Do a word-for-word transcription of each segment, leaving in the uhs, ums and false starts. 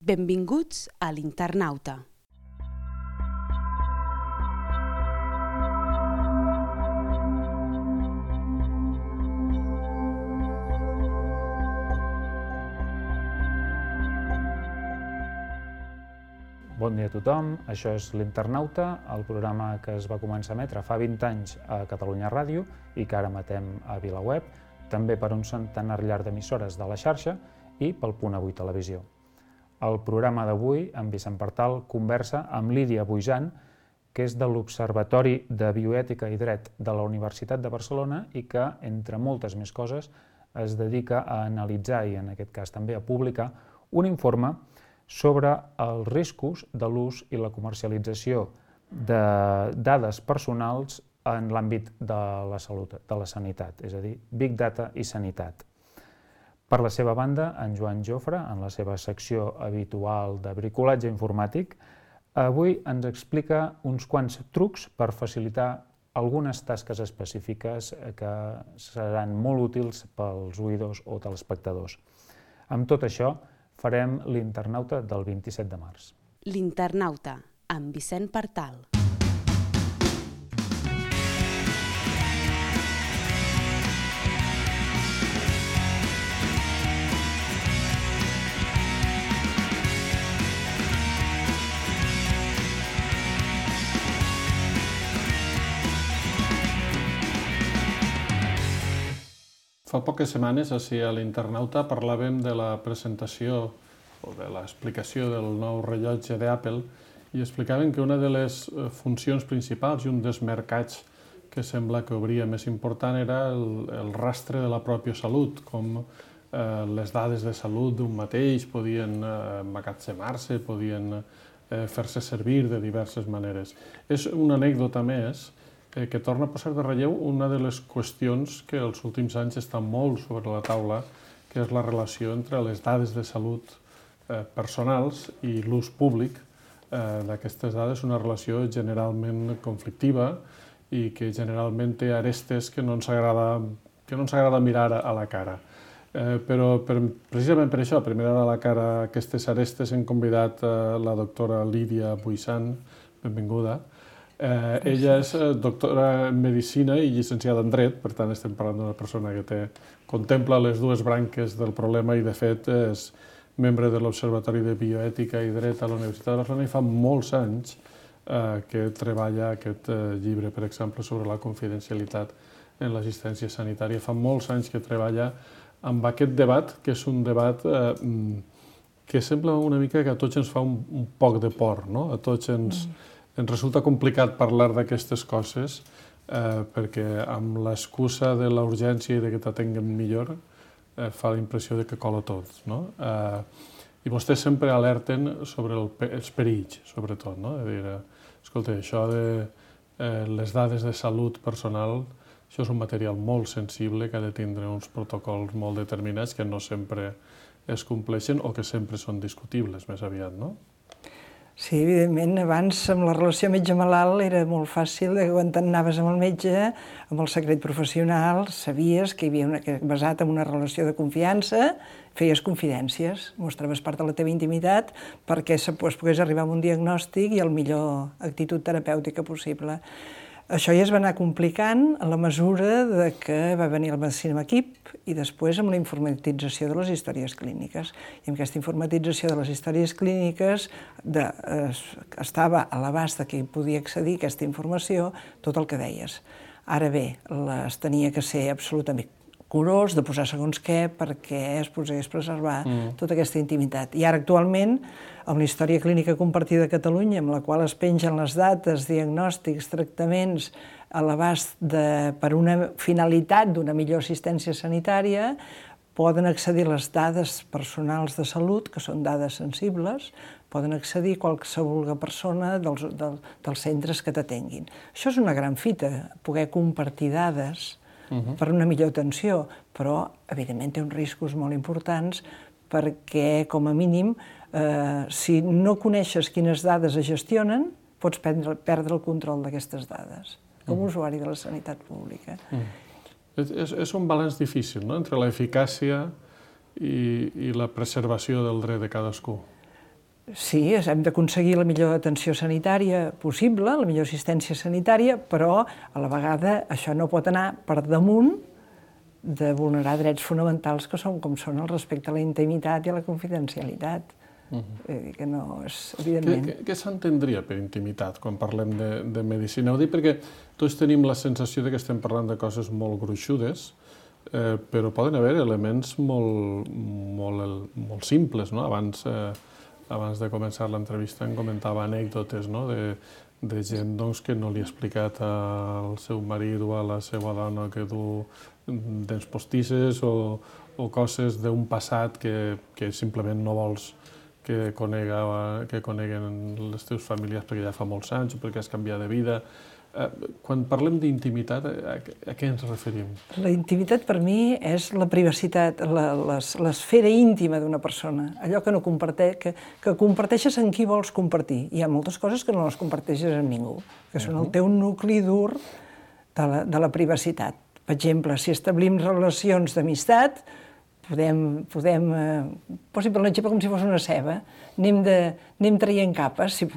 Benvinguts a l'Internauta. Bon dia a tothom, això és l'Internauta, el programa que es va començar a emetre fa vint anys a Catalunya Ràdio i que ara emetem a VilaWeb, també per un centenar llarg d'emissores de la xarxa i pel Punt Avui Televisió. El programa d'avui, en Vicent Partal, conversa amb Lídia Buisan, que és de l'Observatori de Bioètica i Dret de la Universitat de Barcelona i que, entre moltes més coses, es dedica a analitzar i, en aquest cas també, a publicar un informe sobre els riscos de l'ús i la comercialització de dades personals en l'àmbit de la salut, de la sanitat, és a dir, Big Data i sanitat. Per la seva banda, en Joan Jofre, en la seva secció habitual de bricolatge informàtic, avui ens explica uns quants trucs per facilitar algunes tasques específiques que seran molt útils pels oïdors o telespectadors. Amb tot això, farem l'Internauta del vint-i-set de març. L'Internauta, amb Vicent Partal. Fa poques setmanes, així a l'Internauta, parlàvem de la presentació o de l'explicació del nou rellotge d'Apple i explicàvem que una de les funcions principals i un dels mercats que sembla que obria més important era el, el rastre de la pròpia salut, com eh, les dades de salut d'un mateix podien eh, emmagatzemar-se, podien eh, fer-se servir de diverses maneres. És una anècdota més que torna a posar de relleu una de les qüestions que els últims anys està molt sobre la taula, que és la relació entre les dades de salut eh, personals i l'ús públic eh, d'aquestes dades, una relació generalment conflictiva i que generalment té arestes que no ens agrada, que no ens agrada mirar a la cara. Eh, però per, precisament per això, per mirar a la cara aquestes arestes, hem convidat eh, la doctora Lídia Buisan, benvinguda. Eh, ella és doctora en Medicina i llicenciada en Dret, per tant estem parlant d'una persona que té, contempla les dues branques del problema i de fet és membre de l'Observatori de Bioètica i Dret a la Universitat de Barcelona i fa molts anys eh, que treballa aquest eh, llibre, per exemple, sobre la confidencialitat en l'assistència sanitària. Fa molts anys que treballa amb aquest debat, que és un debat eh, que sembla una mica que a tots ens fa un, un poc de por, no? A tots ens... Mm. Ens resulta complicat parlar d'aquestes coses eh, perquè amb l'excusa de la urgència i de que t'atenguen millor eh, fa la impressió de que cola tot, no? Eh, I vostès sempre alerten sobre el, els perills, sobretot, no? De dir, escolta, això de eh, les dades de salut personal, això és un material molt sensible que ha de tindre uns protocols molt determinats que no sempre es compleixen o que sempre són discutibles, més aviat, no? Sí, evidentment, abans amb la relació metge-malalt era molt fàcil, que quan t'anaves amb el metge, amb el secret professional, sabies que hi havia una, que basat en una relació de confiança, feies confidències, mostraves part de la teva intimitat perquè es pogués arribar a un diagnòstic i a la millor actitud terapèutica possible. Això ja es va anar complicant a la mesura de que va venir la medicina amb equip i després amb la informatització de les històries clíniques. I amb aquesta informatització de les històries clíniques de, eh, estava a l'abast de qui podia accedir a aquesta informació tot el que deies. Ara bé, les tenia que ser absolutament curós de posar segons què perquè es pogués preservar mm. tota aquesta intimitat. I ara actualment, amb la història clínica compartida a Catalunya, amb la qual es pengen les dates, diagnòstics, tractaments a l'abast per una finalitat d'una millor assistència sanitària, poden accedir les dades personals de salut, que són dades sensibles, poden accedir qualsevol persona dels, dels, dels centres que t'atenguin. Això és una gran fita, poder compartir dades Uh-huh. per una millor atenció, però evidentment té uns riscos molt importants perquè, com a mínim, eh, si no coneixes quines dades es gestionen, pots perdre, perdre el control d'aquestes dades, com a uh-huh. usuari de la sanitat pública. Uh-huh. És, és un balanç difícil, no?, entre l'eficàcia i, i la preservació del dret de cadascú. Sí, hem d'aconseguir la millor atenció sanitària possible, la millor assistència sanitària, però a la vegada això no pot anar per damunt de vulnerar drets fonamentals que són com són el respecte a la intimitat i a la confidencialitat. Uh-huh. Que no és, evidentment... Què, què s'entendria per intimitat quan parlem de, de medicina? Ho dic perquè tots tenim la sensació de que estem parlant de coses molt gruixudes, eh, però poden haver elements molt, molt, molt simples, no? Abans, eh, abans de començar l'entrevista em comentava anècdotes, no? de, de gent doncs, que no li ha explicat al seu marit o a la seva dona que du dents postisses o, o coses d'un passat que, que simplement no vols que, conega, que coneguen les teves famílies perquè ja fa molts anys o perquè has canviat de vida. Quan parlem d'intimitat, a, a què ens referim? La intimitat per mi és la privacitat, l'esfera íntima d'una persona, allò que no comparteix, que, que comparteixes amb qui vols compartir. Hi ha moltes coses que no les comparteixes amb ningú, que són el teu nucli dur de la, de la privacitat. Per exemple, si establim relacions d'amistat, podem, podem eh, posi per l'exemple com si fos una ceba, anem, de, anem traient capes si,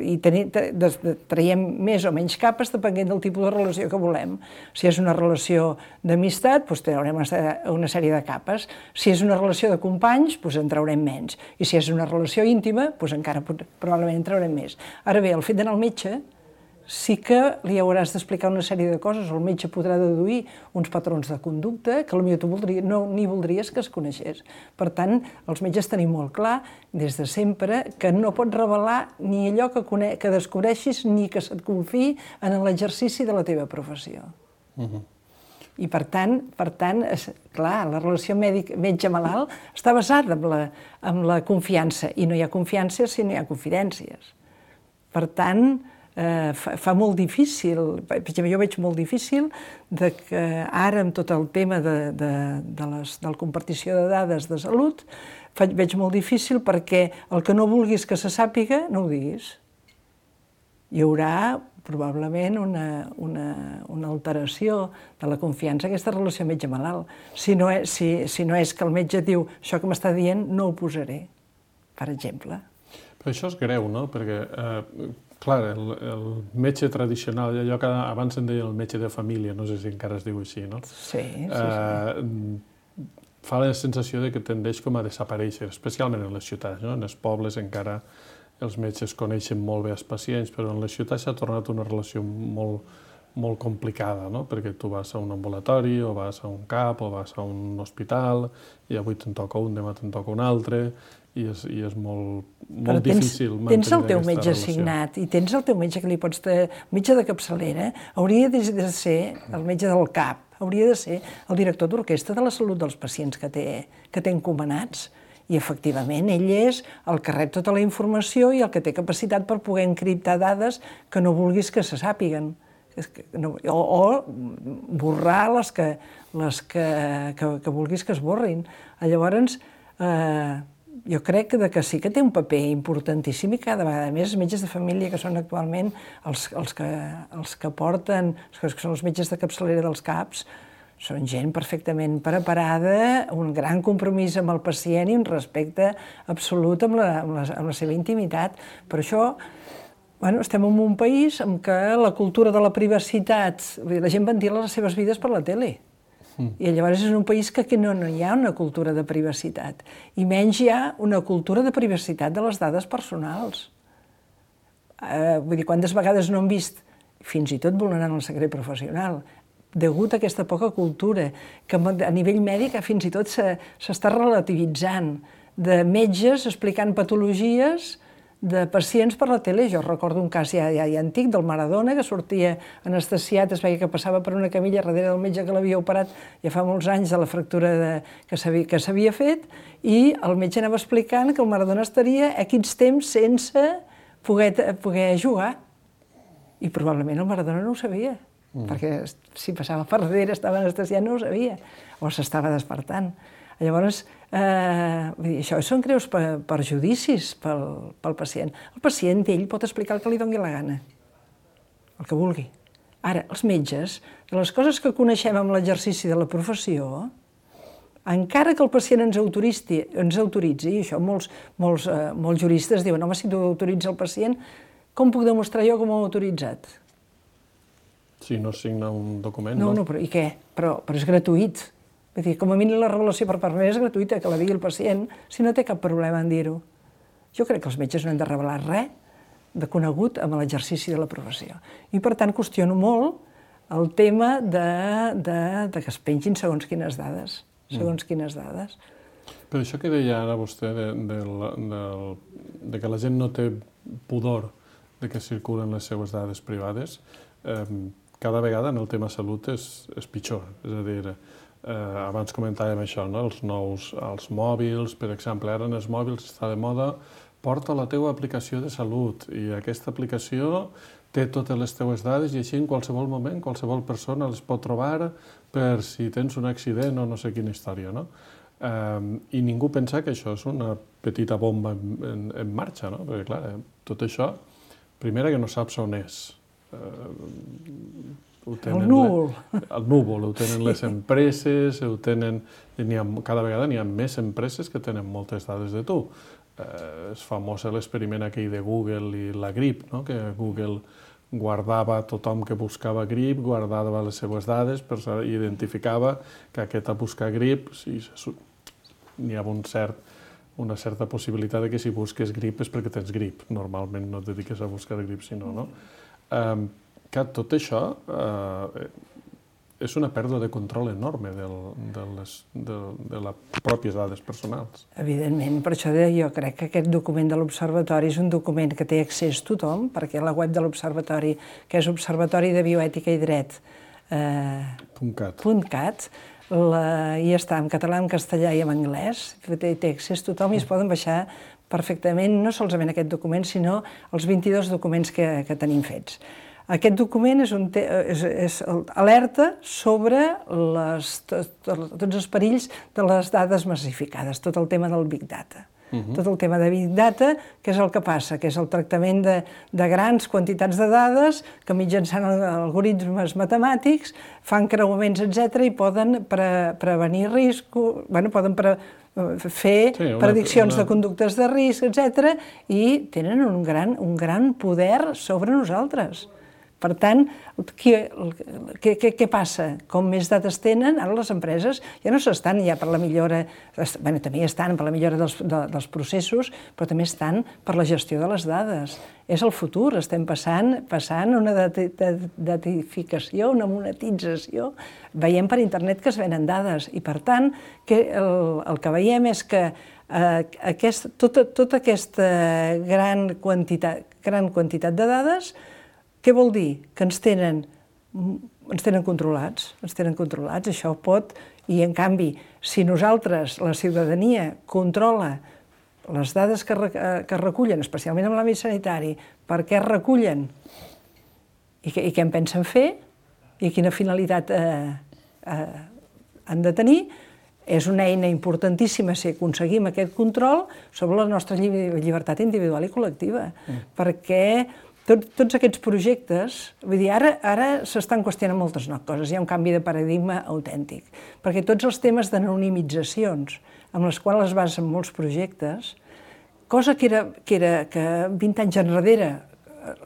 i tenim, de, de, traiem més o menys capes depenent del tipus de relació que volem. Si és una relació d'amistat, doncs traurem una sèrie de capes. Si és una relació de companys, doncs en traurem menys. I si és una relació íntima, doncs encara probablement en traurem més. Ara bé, el fet d'anar al metge sí que li hauràs d'explicar una sèrie de coses, el metge podrà deduir uns patrons de conducta que potser tu voldria, no ni voldries que es coneixés. Per tant, els metges tenim molt clar, des de sempre, que no pots revelar ni allò que, cone que descobreixis ni que se't confiï en l'exercici de la teva professió. Uh-huh. I per tant, per tant és, clar, la relació metge-malalt està basada en la, en la confiança, i no hi ha confiança si no hi ha confidències. Per tant, Eh, fa, fa molt difícil, jo veig molt difícil de que ara amb tot el tema de, de, de, les, de la compartició de dades de salut, veig molt difícil perquè el que no vulguis que se sàpiga, no ho diguis. Hi haurà probablement una, una, una alteració de la confiança en aquesta relació metge-malalt. Si, no és, si, si no és que el metge diu això que m'està dient no ho posaré, per exemple. Però això és greu, no? Perquè eh, clar, el, el metge tradicional, allò que abans en deia el metge de família, no sé si encara es diu així, no? Sí, sí, sí. Eh, fa la sensació de que tendeix com a desaparèixer, especialment en les ciutats, no? En els pobles encara els metges coneixen molt bé els pacients, però en les ciutats s'ha tornat una relació molt, molt complicada, no? Perquè tu vas a un ambulatori, o vas a un CAP, o vas a un hospital, i avui te'n toca un, demà te'n toca un altre, i és, i és molt, molt tens, difícil mantenir tens el teu metge relació. assignat i tens el teu metge que li pots... El metge de capçalera hauria de ser el metge del CAP, hauria de ser el director d'orquestra de la salut dels pacients que té, que té encomanats. I, efectivament, ell és el que rep tota la informació i el que té capacitat per poder encriptar dades que no vulguis que se sàpiguen. O, o borrar les que, les que, que, que vulguis que es borrin. Llavors, eh, jo crec que, que sí que té un paper importantíssim i cada vegada més els metges de família, que són actualment els, els, que, els que porten, que són els metges de capçalera dels CAPs, són gent perfectament preparada, un gran compromís amb el pacient i un respecte absolut amb la, amb la, amb la seva intimitat. Per això, bueno, estem en un país en què la cultura de la privacitat, la gent ventila les seves vides per la tele. I llavors és un país que no, no hi ha una cultura de privacitat, i menys hi ha una cultura de privacitat de les dades personals. Eh, vull dir, quantes vegades no hem vist, fins i tot vulnerant el secret professional, degut a aquesta poca cultura, que a nivell mèdic fins i tot s'està relativitzant, de metges explicant patologies de pacients per la tele. Jo recordo un cas ja, ja, ja antic del Maradona, que sortia anestesiat, es veia que passava per una camilla darrere del metge que l'havia operat ja fa molts anys de la fractura de, que s'havia fet, i el metge anava explicant que el Maradona estaria equis temps sense poder, poder jugar. I probablement el Maradona no ho sabia, mm. perquè si passava per darrere, estava anestesiat, no ho sabia, o s'estava despertant. Llavors, eh, això són greus perjudicis pel, pel pacient. El pacient, ell, pot explicar el que li doni la gana, el que vulgui. Ara, els metges, de les coses que coneixem amb l'exercici de la professió, encara que el pacient ens autoritzi, ens autoritzi i això molts, molts, eh, molts juristes diuen, home, si tu autoritza el pacient, com puc demostrar jo com ho he autoritzat? Si no signa un document, no? No, no, però i què? Però, però és gratuït. Vull dir, com a mínim la revelació per part meva és gratuïta, que la digui el pacient, si no té cap problema en dir-ho. Jo crec que els metges no han de revelar res de conegut amb l'exercici de la professió. I, per tant, qüestiono molt el tema de, de, de que es pengin segons quines dades. Segons mm. quines dades. Però això que deia ara vostè, de, de, de, de que la gent no té pudor de que circulen les seues dades privades, eh, cada vegada en el tema salut és, és pitjor. És a dir, eh, abans comentàvem això, no? els nous els mòbils, per exemple, ara en els mòbils està de moda, porta la teva aplicació de salut i aquesta aplicació té totes les teves dades i així en qualsevol moment qualsevol persona les pot trobar per si tens un accident o no sé quina història, no? Eh, I ningú pensa que això és una petita bomba en, en, en marxa, no? Perquè, clar, eh, tot això, primera que no saps on és. Eh, el núvol. Le, el núvol, ho tenen les empreses, ho tenen, ha, cada vegada n'hi ha més empreses que tenen moltes dades de tu. Eh, és famós l'experiment aquell de Google i la grip, no? Que Google guardava tothom que buscava grip, guardava les seves dades i identificava que aquest a buscar grip, si n'hi ha un cert, una certa possibilitat de que si busques grip és perquè tens grip. Normalment no et dediques a buscar grip, sinó, no? Eh, que tot això eh, és una pèrdua de control enorme de, de, les, de, de les pròpies dades personals. Evidentment, per això jo crec que aquest document de l'Observatori és un document que té accés tothom, perquè la web de l'Observatori, que és Observatori de Bioètica i Dret, eh, .cat, .cat la, i està en català, en castellà i en anglès, té, té accés tothom i es poden baixar perfectament, no solament aquest document, sinó els vint-i-dos documents que, que tenim fets. Aquest document és, un te és, és alerta sobre les, tot, tots els perills de les dades massificades, tot el tema del Big Data. Uh-huh. Tot el tema de Big Data, que és el que passa, que és el tractament de, de grans quantitats de dades que mitjançant algoritmes matemàtics fan creuaments, etcètera, i poden pre prevenir riscos, bueno, poden pre fer sí, una, prediccions una... de conductes de risc, etcètera, i tenen un gran, un gran poder sobre nosaltres. Per tant, què, què, què passa? Com més dades tenen, ara les empreses ja no s'estan ja per la millora, bueno, també estan per la millora dels, de, dels processos, però també estan per la gestió de les dades. És el futur, estem passant, passant una datificació, una monetització. Veiem per internet que es venen dades i, per tant, que el, el que veiem és que eh, aquest, tota, tota aquesta gran quantitat, gran quantitat de dades. Què vol dir? Que ens tenen, ens tenen controlats, ens tenen controlats, això pot, i en canvi, si nosaltres, la ciutadania, controla les dades que, que recullen, especialment en l'àmbit sanitari, per què es recullen i, que, i què en pensen fer i quina finalitat eh, eh, han de tenir, és una eina importantíssima si aconseguim aquest control sobre la nostra llibertat individual i col·lectiva, mm. perquè Tot, tots aquests projectes, vull dir, ara, ara s'estan qüestionant moltes coses, hi ha un canvi de paradigma autèntic, perquè tots els temes d'anonimitzacions, amb les quals es basen molts projectes, cosa que era, que era que vint anys enrere,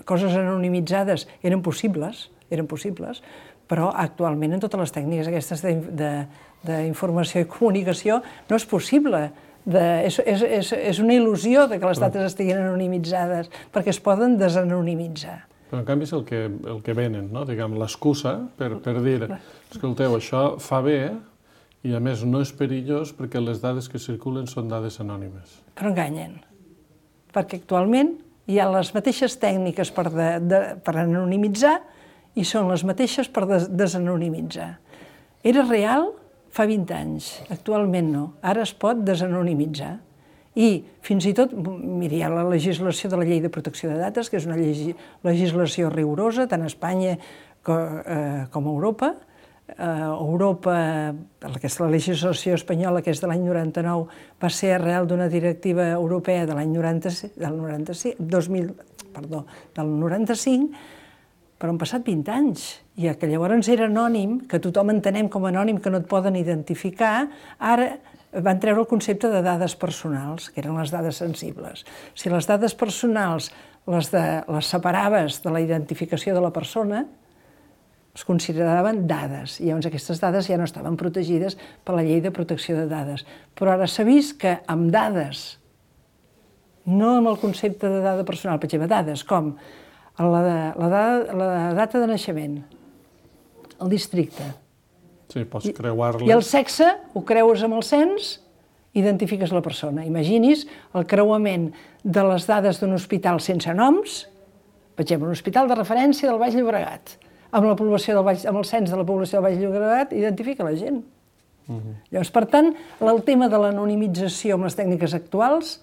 coses anonimitzades eren possibles, eren possibles, però actualment en totes les tècniques aquestes d'informació i comunicació no és possible. De, és, és, és, és una il·lusió de que les dades estiguin anonimitzades, perquè es poden desanonimitzar. Però en canvi és el que, el que venen, no? Diguem, l'excusa per, per dir, escolteu, això fa bé i a més no és perillós perquè les dades que circulen són dades anònimes. Però enganyen, perquè actualment hi ha les mateixes tècniques per, de, de, per anonimitzar i són les mateixes per des, desanonimitzar. Era real fa vint anys, actualment no. Ara es pot desanonimitzar. I fins i tot, miri, hi ha la legislació de la Llei de Protecció de Dades, que és una legislació rigorosa, tant a Espanya com a Europa. A Europa, aquesta legislació espanyola, que és de l'any noranta-nou, va ser arrel d'una directiva europea de l'any noranta-cinc, del noranta-cinc, dos mil, perdó, del noranta-cinc, però han passat vint anys, i que llavors era anònim, que tothom entenem com a anònim, que no et poden identificar, ara van treure el concepte de dades personals, que eren les dades sensibles. Si les dades personals les, de, les separaves de la identificació de la persona, es consideraven dades, i llavors aquestes dades ja no estaven protegides per la llei de protecció de dades. Però ara s'ha vist que amb dades, no amb el concepte de dada personal, per exemple, dades com la, la, dada, la data de naixement, el districte. Sí, pots creuar-les. I el sexe, ho creues amb el cens, identifiques la persona. Imagini's el creuament de les dades d'un hospital sense noms, per exemple, un hospital de referència del Baix Llobregat, amb la població del Baix, amb el cens de la població del Baix Llobregat, identifica la gent. Uh-huh. Llavors, per tant, el tema de l'anonimització amb les tècniques actuals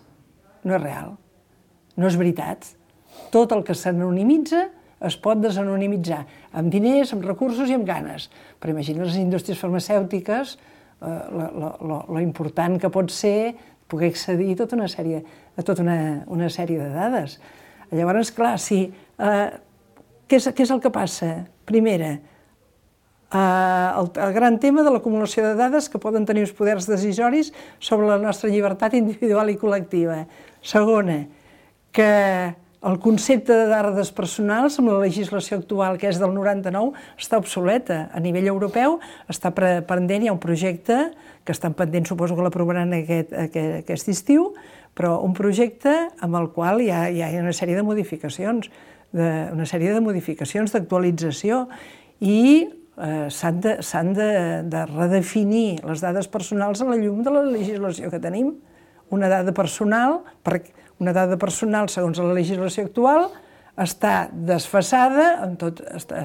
no és real, no és veritat. Tot el que s'anonimitza es pot desanonimitzar, amb diners, amb recursos i amb ganes. Però imagina les indústries farmacèutiques, eh, lo important que pot ser poder accedir a tota una sèrie, a tota una, una sèrie de dades. Llavors, clar, sí, eh, què, és, què és el que passa? Primera, eh, el, el gran tema de l'acumulació de dades que poden tenir uns poders decisoris sobre la nostra llibertat individual i col·lectiva. Segona, que el concepte de dades personals amb la legislació actual, que és del noranta-nou, està obsoleta. A nivell europeu està pendent, hi ha un projecte que estan pendent, suposo que l'aprovaran aquest, aquest, aquest estiu, però un projecte amb el qual hi ha, hi ha una sèrie de modificacions, de, una sèrie de modificacions, d'actualització, i eh, s'han de, s'han de, de redefinir les dades personals a la llum de la legislació que tenim. Una dada personal, una dada personal segons la legislació actual, està desfasada en tot, està,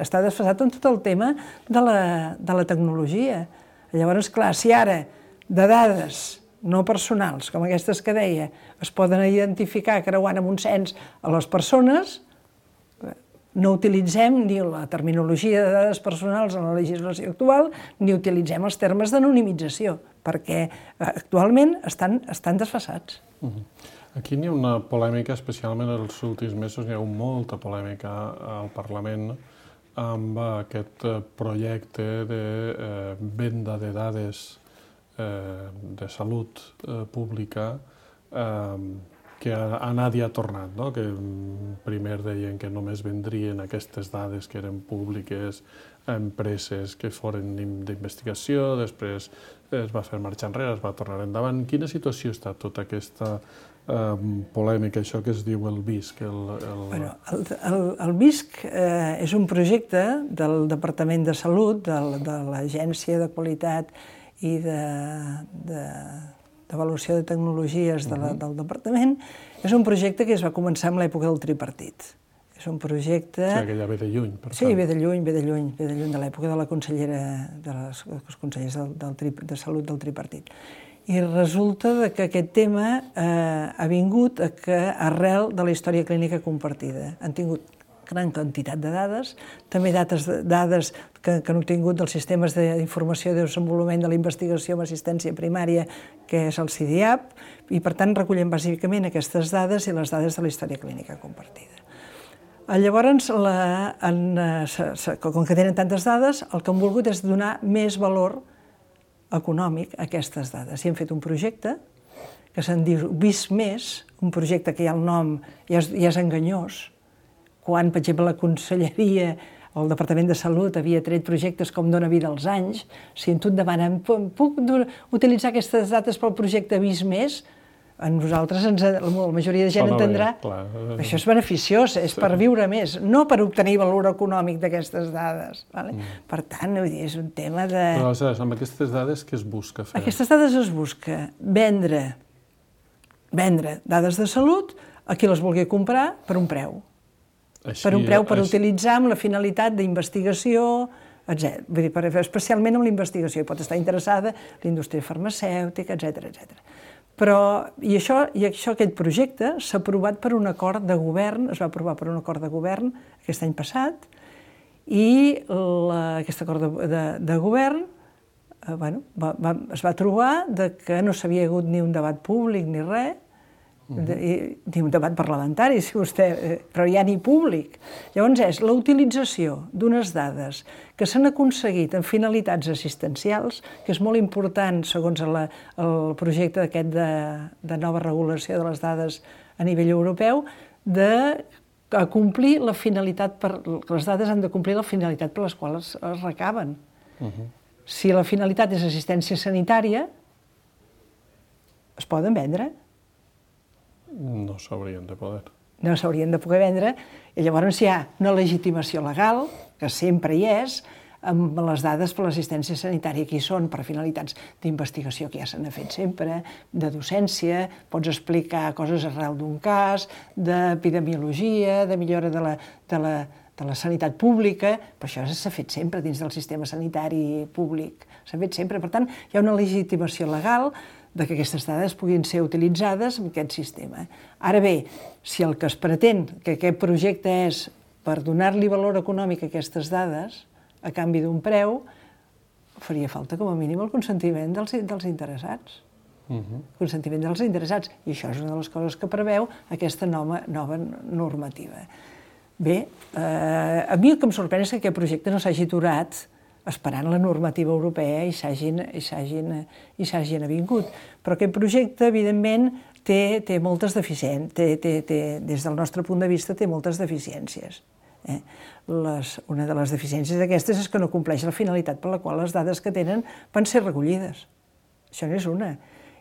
està desfasat en tot el tema de la, de la tecnologia. Llavors, clar, si ara de dades no personals, com aquestes que deia, es poden identificar creuant amb un cens a les persones, no utilitzem ni la terminologia de dades personals en la legislació actual, ni utilitzem els termes d'anonimització, perquè actualment estan, estan desfasats. Uh-huh. Aquí n'hi ha una polèmica, especialment en els últims mesos, n'hi ha hagut molta polèmica al Parlament amb aquest projecte de eh, venda de dades eh, de salut eh, pública eh, que ha anat i ha tornat, no? Que primer deien que només vendrien aquestes dades que eren públiques a empreses que foren d'investigació, després es va fer marxa enrere, es va tornar endavant. En quina situació està tota aquesta eh, polèmica, això que es diu el B I S C? El, el... Bueno, el, el, el B I S C eh, és un projecte del Departament de Salut, de, de l'Agència de Qualitat i de... de d'avaluació de tecnologies de la, del departament, és un projecte que es va començar en l'època del tripartit. És un projecte... O sigui, que ja ve de lluny, per tant. Sí, ve de lluny, ve de lluny, ve de lluny, de l'època de la consellera, de les, dels consellers del, del tri, de salut del tripartit. I resulta que aquest tema eh, ha vingut a que, arrel de la història clínica compartida. Han tingut gran quantitat de dades, també dades, dades que, que han obtingut dels sistemes d'informació de desenvolupament de la investigació amb assistència primària, que és el C I D I A P, i per tant recullen bàsicament aquestes dades i les dades de la història clínica compartida. Llavors, la, en, com que tenen tantes dades, el que han volgut és donar més valor econòmic a aquestes dades. I hem fet un projecte que se'n diu B I S més, un projecte que ja el nom ja és, ja és enganyós, quan, per exemple, la Conselleria o el Departament de Salut havia tret projectes com Dona Vida als anys, si tu et demanen, puc utilitzar aquestes dades pel projecte B I S més? A nosaltres, ens, la majoria de gent entendrà, això és beneficiós, és per viure més, no per obtenir valor econòmic d'aquestes dades. Vale? Mm. Per tant, vull dir, és un tema de... Però, aleshores, amb aquestes dades, què es busca fer? Aquestes dades es busca vendre, vendre dades de salut a qui les vulgui comprar per un preu. Així, per un preu per així... utilitzar amb la finalitat d'investigació, etcètera. Vull dir, per, especialment amb la investigació. Pot estar interessada la indústria farmacèutica, etcètera, etcètera. Però, i això, i això, aquest projecte s'ha aprovat per un acord de govern, es va aprovar per un acord de govern aquest any passat, i la, aquest acord de, de, de govern eh, bueno, va, va, es va trobar de que no s'havia hagut ni un debat públic ni res, Ni un debat parlamentari, si vostè, però ja ni públic. Llavors és la utilització d'unes dades que s'han aconseguit en finalitats assistencials, que és molt important, segons el projecte aquest de nova regulació de les dades a nivell europeu, de complir la finalitat, les dades han de complir la finalitat per les quals es recaben. Si la finalitat és assistència sanitària, es poden vendre? No s'haurien de poder. No s'haurien de poder vendre, i llavors hi ha una legitimació legal, que sempre hi és, amb les dades per l'assistència sanitària, que hi són per finalitats d'investigació, que ja se n'ha fet sempre, de docència, pots explicar coses arrel d'un cas, d'epidemiologia, de millora de la, de la, de la sanitat pública, però això s'ha fet sempre dins del sistema sanitari públic, s'ha fet sempre. Per tant, hi ha una legitimació legal de que aquestes dades puguin ser utilitzades en aquest sistema. Ara bé, si el que es pretén que aquest projecte és per donar-li valor econòmic a aquestes dades, a canvi d'un preu, faria falta com a mínim el consentiment dels, dels interessats. Uh-huh. Consentiment dels interessats. I això és una de les coses que preveu aquesta nova, nova normativa. Bé, eh, a mi el que em sorprèn és que aquest projecte no s'hagi aturat esperant la normativa europea i s'hagin avingut. Però aquest projecte, evidentment, té, té moltes deficiències, té, té, té, des del nostre punt de vista, té moltes deficiències. Eh? Les, una de les deficiències d'aquestes és que no compleix la finalitat per la qual les dades que tenen van ser recollides. Això n'és una.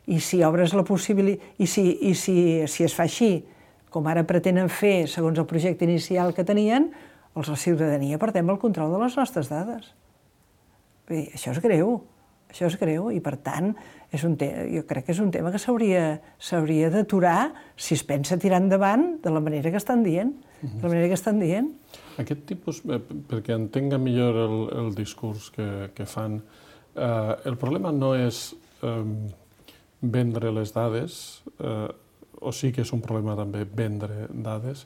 I si obres la possibilitat, i, si, i si, si es fa així, com ara pretenen fer, segons el projecte inicial que tenien, els la ciutadania perdem el control de les nostres dades. Bé, això és greu, això és greu, i per tant, és un te- jo crec que és un tema que s'hauria d'aturar si es pensa tirar endavant de la manera que estan dient. De la manera que estan dient. Aquest tipus, eh, perquè entenga millor el, el discurs que, que fan, eh, el problema no és eh, vendre les dades, eh, o sí que és un problema també vendre dades,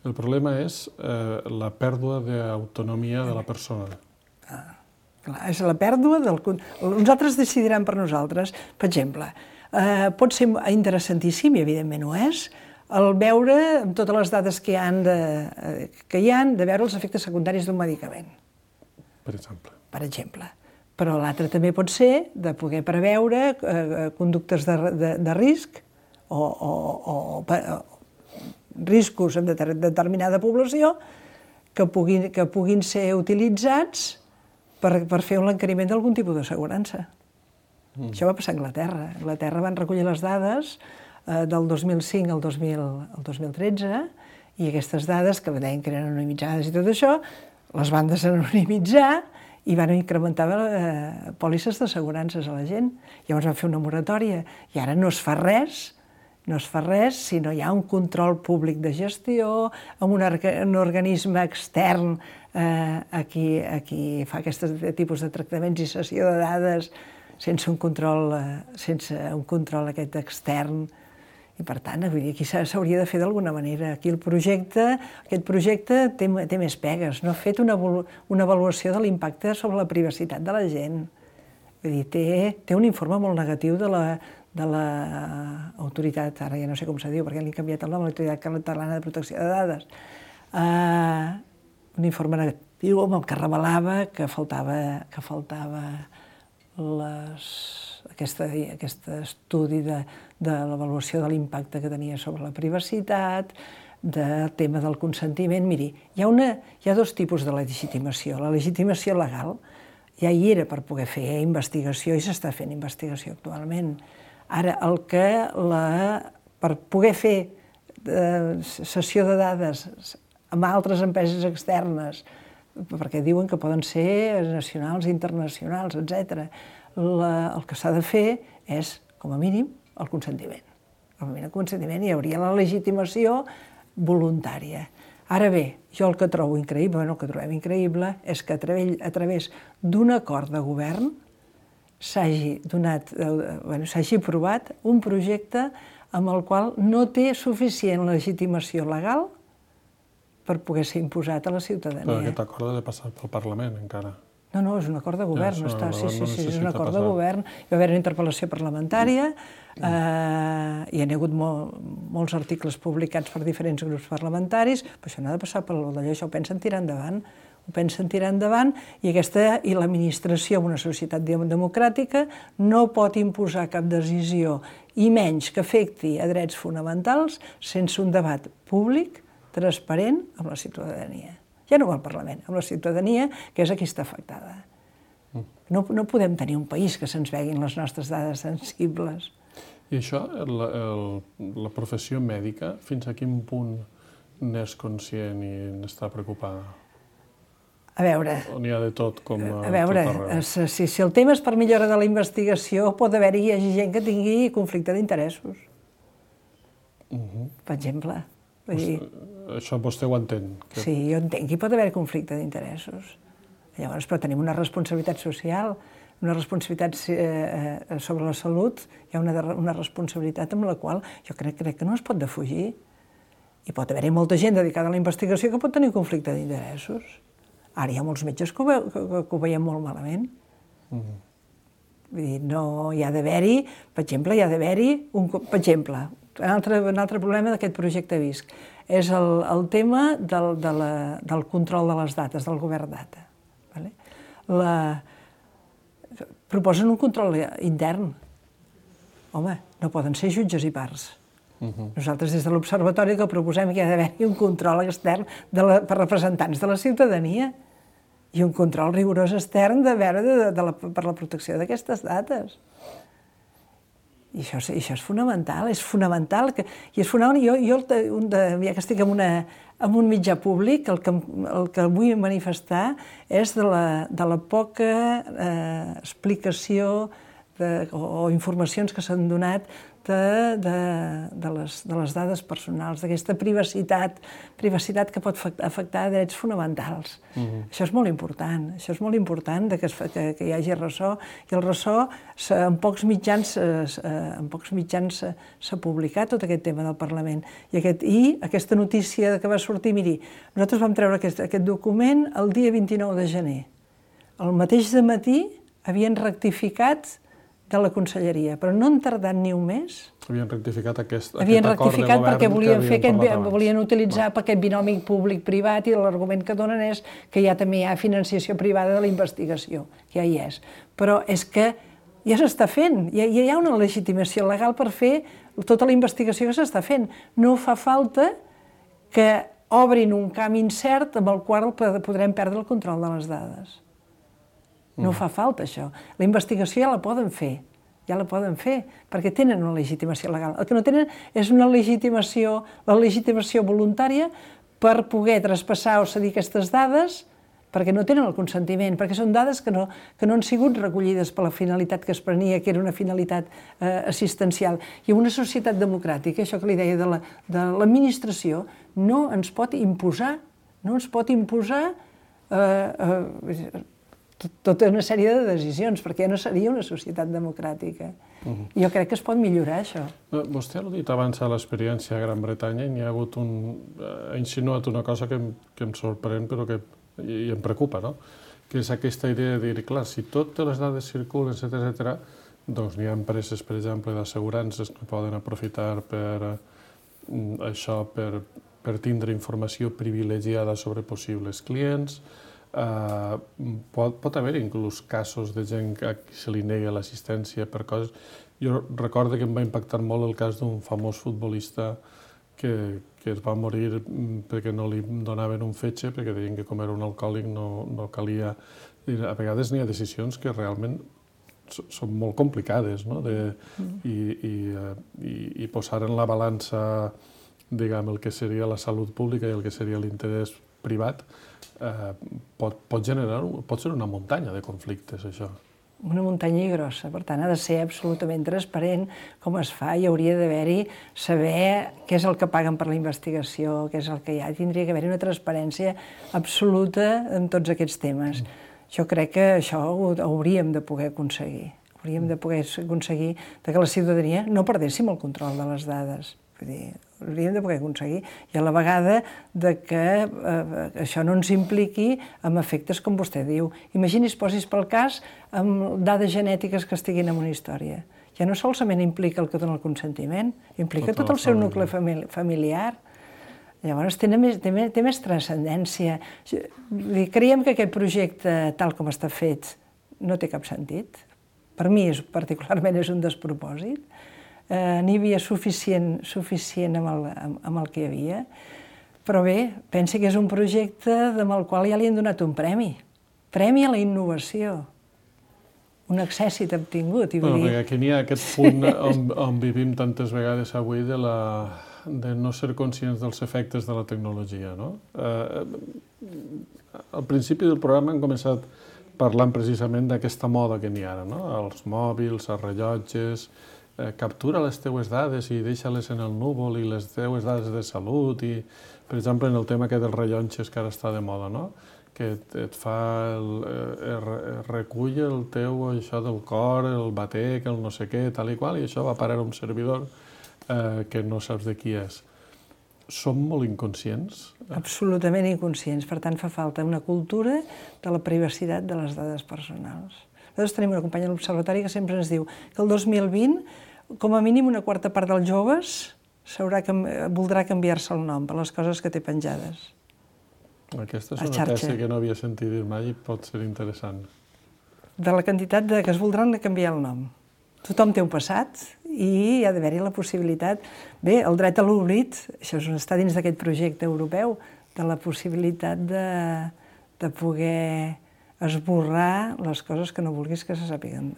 el problema és eh, la pèrdua d'autonomia de la persona. Ah. Clar, és la pèrdua del... Nosaltres decidiran per nosaltres. Per exemple, eh, pot ser interessantíssim, i evidentment ho és, el veure, amb totes les dades que hi ha, de, que hi ha de veure els efectes secundaris d'un medicament. Per exemple. Per exemple. Però l'altre també pot ser de poder preveure eh, conductes de, de, de risc o, o, o, o riscos en determinada població que puguin, que puguin ser utilitzats Per, per fer un encariment d'algun tipus d'assegurança. Mm. Això va passar a Anglaterra. A Anglaterra van recollir les dades eh, del dos mil cinc al dos mil, al dos mil tretze i aquestes dades, que deien que eren anonimitzades i tot això, les van desanonimitzar i van incrementar eh, pòlisses d'assegurances a la gent. Llavors van fer una moratòria i ara no es fa res, no es fa res si no hi ha un control públic de gestió, amb un, un organisme extern eh, a, qui, a qui fa aquest tipus de tractaments i cessió de dades sense un control, eh, sense un control aquest extern. I per tant, vull dir, aquí s'hauria de fer d'alguna manera. Aquí el projecte, aquest projecte té, té més pegues. No ha fet una, una avaluació de l'impacte sobre la privacitat de la gent. Vull dir, té, té un informe molt negatiu de la de l'autoritat, ara ja no sé com se diu, perquè li han canviat el nom, l'Autoritat Catalana de Protecció de Dades, uh, un informe negatiu amb el que revelava que faltava, que faltava les, aquesta, aquest estudi de, de l'avaluació de l'impacte que tenia sobre la privacitat, del tema del consentiment. Miri, hi ha, una, hi ha dos tipus de legitimació. La legitimació legal ja hi era per poder fer investigació i s'està fent investigació actualment. Ara, el que la, per poder fer eh, sessió de dades amb altres empreses externes, perquè diuen que poden ser nacionals, internacionals, etcètera, el que s'ha de fer és, com a mínim, el consentiment. Com a mínim el consentiment, hi hauria la legitimació voluntària. Ara bé, jo el que trobo increïble, el que trobem increïble, és que a través, a través d'un acord de govern s'hagi donat, bueno, s'hagi aprovat un projecte amb el qual no té suficient legitimació legal per poder ser imposat a la ciutadania. Però aquest acord ha de passar pel Parlament, encara. No, no, és un acord de govern. Ja, no està, sí, sí, no sí, és un acord passar. de govern. Hi va haver una interpel·lació parlamentària, eh, hi ha hagut mol, molts articles publicats per diferents grups parlamentaris, però això no ha de passar per d'allò, això ho pensen tirar endavant, ho pensen tirar endavant, i aquesta i l'administració en una societat democràtica no pot imposar cap decisió, i menys que afecti a drets fonamentals, sense un debat públic, transparent, amb la ciutadania. Ja no al Parlament, amb la ciutadania, que és a qui està afectada. No, no podem tenir un país que se'ns veguin les nostres dades sensibles. I això, el, el, la professió mèdica, fins a quin punt n'és conscient i n'està preocupada? A veure... O n'hi ha de tot com a, a veure, tot arreu? Si, si el tema és per millora de la investigació, pot haver-hi gent que tingui conflicte d'interessos. Uh -huh. Per exemple. Vull dir, això vostè ho entén? Que... Sí, jo entenc que hi pot haver conflicte d'interessos. Llavors, però tenim una responsabilitat social, una responsabilitat eh, sobre la salut, hi ha una, una responsabilitat amb la qual jo crec, crec que no es pot defugir. I pot haver-hi molta gent dedicada a la investigació que pot tenir conflicte d'interessos. Ara hi ha molts metges que ho, ve, que, que ho veiem molt malament. Uh -huh. Vull dir, no hi ha d'haver-hi, per exemple, hi ha d'haver-hi, un, per exemple, un altre, un altre problema d'aquest projecte Visc és el, el tema del, de la, del control de les dates, del govern data. Vale? La, proposen un control intern. Home, no poden ser jutges i parts. Uh-huh. Nosaltres des de l'Observatori que proposem que hi ha d'haver un control extern de la, per representants de la ciutadania i un control rigorós extern de veure de, de la, per la protecció d'aquestes dates. I això, i això és fonamental, és fonamental. Que, I és fonamental, jo, jo un de, ja que estic en, una, en un mitjà públic, el que, el que vull manifestar és de la, de la poca eh, explicació de, o, o informacions que s'han donat de, de, de, les, de les dades personals, d'aquesta privacitat, privacitat que pot afectar drets fonamentals. Uh-huh. Això és molt important, això és molt important de que, es, que, que hi hagi ressò, i el ressò en pocs mitjans en pocs mitjans s'ha publicat tot aquest tema del Parlament. I, aquest, i aquesta notícia que va sortir, miri, nosaltres vam treure aquest, aquest document el dia vint-i-nou de gener. El mateix dematí havien rectificat de la Conselleria, però no han tardat ni un mes. Havien rectificat aquest, havien aquest acord de rectificat govern perquè volien, fer aquest, abans. volien utilitzar no. aquest binomi públic-privat, i l'argument que donen és que ja també hi ha financiació privada de la investigació, que ja hi és. Però és que ja s'està fent, ja, ja hi ha una legitimació legal per fer tota la investigació que s'està fent. No fa falta que obrin un camp incert amb el qual podrem perdre el control de les dades. No fa falta, això. La investigació ja la poden fer, ja la poden fer, perquè tenen una legitimació legal. El que no tenen és una legitimació, la legitimació voluntària per poder traspassar o cedir aquestes dades, perquè no tenen el consentiment, perquè són dades que no, que no han sigut recollides per la finalitat que es prenia, que era una finalitat eh, assistencial. I en una societat democràtica, això que li deia de l'administració, la, no ens pot imposar, no ens pot imposar eh, eh, tota una sèrie de decisions, perquè ja no seria una societat democràtica. Uh-huh. I jo crec que es pot millorar, això. Vostè ha dit abans a l'experiència a Gran Bretanya i n'hi ha hagut un... ha insinuat una cosa que em, que em sorprèn, però que i em preocupa, no? Que és aquesta idea de dir, clar, si totes les dades circulen, etcètera, etcètera, doncs n'hi ha empreses, per exemple, d'assegurances que poden aprofitar per això, per, per tindre informació privilegiada sobre possibles clients. Uh, pot, pot haver inclús casos de gent a qui se li nega l'assistència per coses. Jo recordo que em va impactar molt el cas d'un famós futbolista que, que es va morir perquè no li donaven un fetge, perquè deien que com era un alcohòlic no, no calia... A vegades n'hi ha decisions que realment són molt complicades, no? De, i, i, i, i posar en la balança, diguem, el que seria la salut pública i el que seria l'interès privat, eh, pot, pot generar, pot ser una muntanya de conflictes, això. Una muntanya grossa, per tant, ha de ser absolutament transparent com es fa, i hauria d'haver-hi saber què és el que paguen per la investigació, què és el que hi ha. Tindria que haver-hi una transparència absoluta en tots aquests temes. Mm. Jo crec que això ho hauríem de poder aconseguir. Hauríem de poder aconseguir que la ciutadania no perdéssim el control de les dades. Vull dir, hauríem de poder aconseguir. I a la vegada de que eh, això no ens impliqui amb efectes com vostè diu. Imagini's, posis pel cas, amb dades genètiques que estiguin en una història. Ja no solament implica el que dona el consentiment, implica tot el seu nucli familiar. Llavors té més, té més, té més transcendència. Creiem que aquest projecte, tal com està fet, no té cap sentit. Per mi, és, particularment, és un despropòsit. Eh, N'hi havia suficient, suficient amb, el, amb, amb el que hi havia. Però bé, pensi que és un projecte amb el qual ja li han donat un premi. Premi a la innovació. Un accèssit obtingut. I bueno, dir... perquè aquí n'hi ha aquest punt on, on vivim tantes vegades avui de la... de no ser conscients dels efectes de la tecnologia, no? Eh, al principi del programa hem començat parlant precisament d'aquesta moda que n'hi ha ara, no? Els mòbils, els rellotges, eh, captura les teues dades i deixa-les en el núvol i les teues dades de salut i, per exemple, en el tema aquest dels rellotges que ara està de moda, no? Que et, et fa, el, eh, recull el teu, això del cor, el batec, el no sé què, tal i qual, i això va parar a un servidor Eh, que no saps de qui és. Som molt inconscients? Absolutament inconscients. Per tant, fa falta una cultura de la privacitat de les dades personals. Nosaltres tenim una companya de l'Observatori que sempre ens diu que el dos mil vint, com a mínim una quarta part dels joves voldrà canviar-se el nom per les coses que té penjades. Aquesta és una tesi que no havia sentit dir mai i pot ser interessant. De la quantitat de que es voldran canviar el nom. Tothom té un passat i hi ha d'haver-hi la possibilitat... Bé, el dret a l'oblit, això està dins d'aquest projecte europeu, de la possibilitat de, de poder esborrar les coses que no vulguis que se sàpiguen,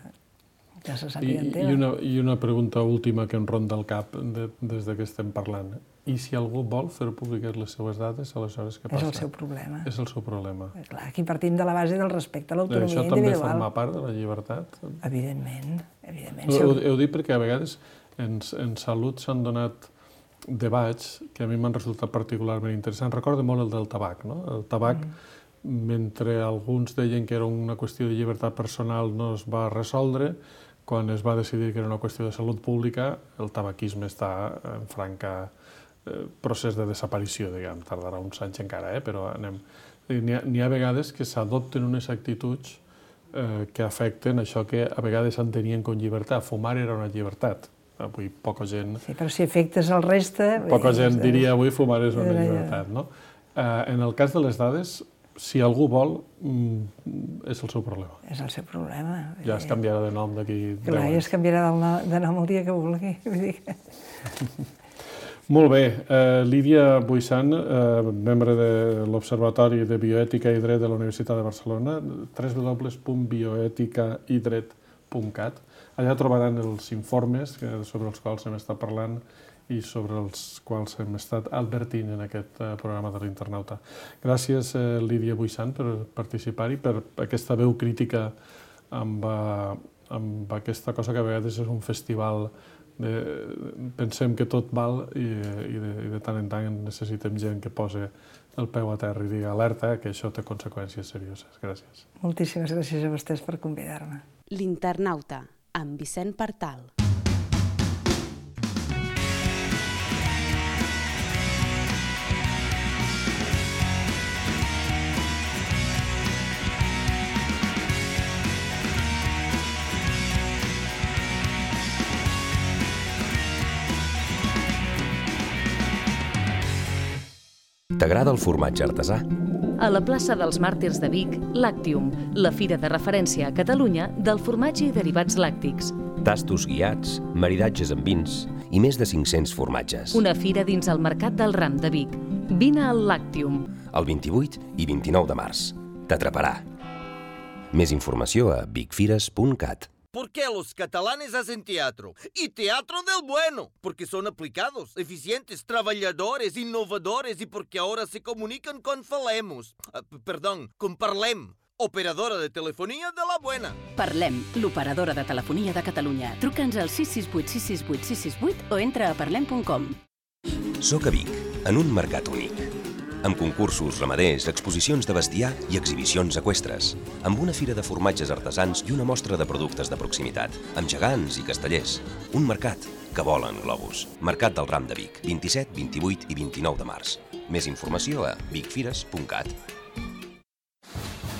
que se sàpiguen I, i, una, I una pregunta última que em ronda el cap de, des de que estem parlant. I si algú vol fer públiques les seues dades, aleshores què passa? És el seu problema. És el seu problema. Clar, aquí partim de la base del respecte a l'autonomia individual. Això individual. també forma part de la llibertat? Evidentment, evidentment. Ho, ho dic perquè a vegades en, en salut s'han donat debats que a mi m'han resultat particularment interessants. Recordo molt el del tabac, no? El tabac, mm. mentre alguns deien que era una qüestió de llibertat personal, no es va resoldre. Quan es va decidir que era una qüestió de salut pública, el tabaquisme està en franca eh, procés de desaparició, diguem. Tardarà uns anys encara, eh? Però anem... N'hi ha, n'hi ha vegades que s'adopten unes actituds eh, que afecten això que a vegades entenien com llibertat. Fumar era una llibertat. Avui poca gent... Sí, però si afectes el reste... Poca gent diria avui fumar és una llibertat, no? Eh, en el cas de les dades, si algú vol, és el seu problema. És el seu problema. Ja es canviarà de nom d'aquí deu anys. Clar, ja es canviarà de nom el dia que vulgui. Molt bé. Uh, Lídia Buissan, uh, membre de l'Observatori de Bioètica i Dret de la Universitat de Barcelona, w w w punt bioètica i dret punt cat. Allà trobaran els informes sobre els quals hem estat parlant i sobre els quals hem estat advertint en aquest programa de l'Internauta. Gràcies, Lídia Buissan, per participar-hi, per aquesta veu crítica amb, amb aquesta cosa que a vegades és un festival de... Pensem que tot val i, i, de, i de tant en tant necessitem gent que posi el peu a terra i digui alerta que això té conseqüències serioses. Gràcies. Moltíssimes gràcies a vostès per convidar-me. L'Internauta, amb Vicent Partal. T'agrada el formatge artesà? A la plaça dels Màrtirs de Vic, Lactium, la fira de referència a Catalunya del formatge i derivats làctics. Tastos guiats, maridatges amb vins i més de cinc-cents formatges. Una fira dins el Mercat del Ram de Vic. Vine al Lactium. El vint-i-vuit i vint-i-nou de març. T'atraparà. Més informació a vicfires punt cat. ¿Por qué los catalanes hacen teatro? Y teatro del bueno, porque son aplicados, eficientes, trabajadores, innovadores y porque ahora se comunican con Falemos. Uh, perdón, con Parlem, operadora de telefonia de la buena. Parlem, l'operadora de telefonia de Catalunya. Truca'ns al sis sis vuit sis sis vuit sis sis vuit o entra a parlem punt com. Soc a Vic, en un mercat únic. amb concursos ramaders, exposicions de bestiar i exhibicions eqüestres, amb una fira de formatges artesans i una mostra de productes de proximitat, amb gegants i castellers. Un mercat que vola en globus. Mercat del Ram de Vic, vint-i-set, vint-i-vuit i vint-i-nou de març. Més informació a vic fires punt cat.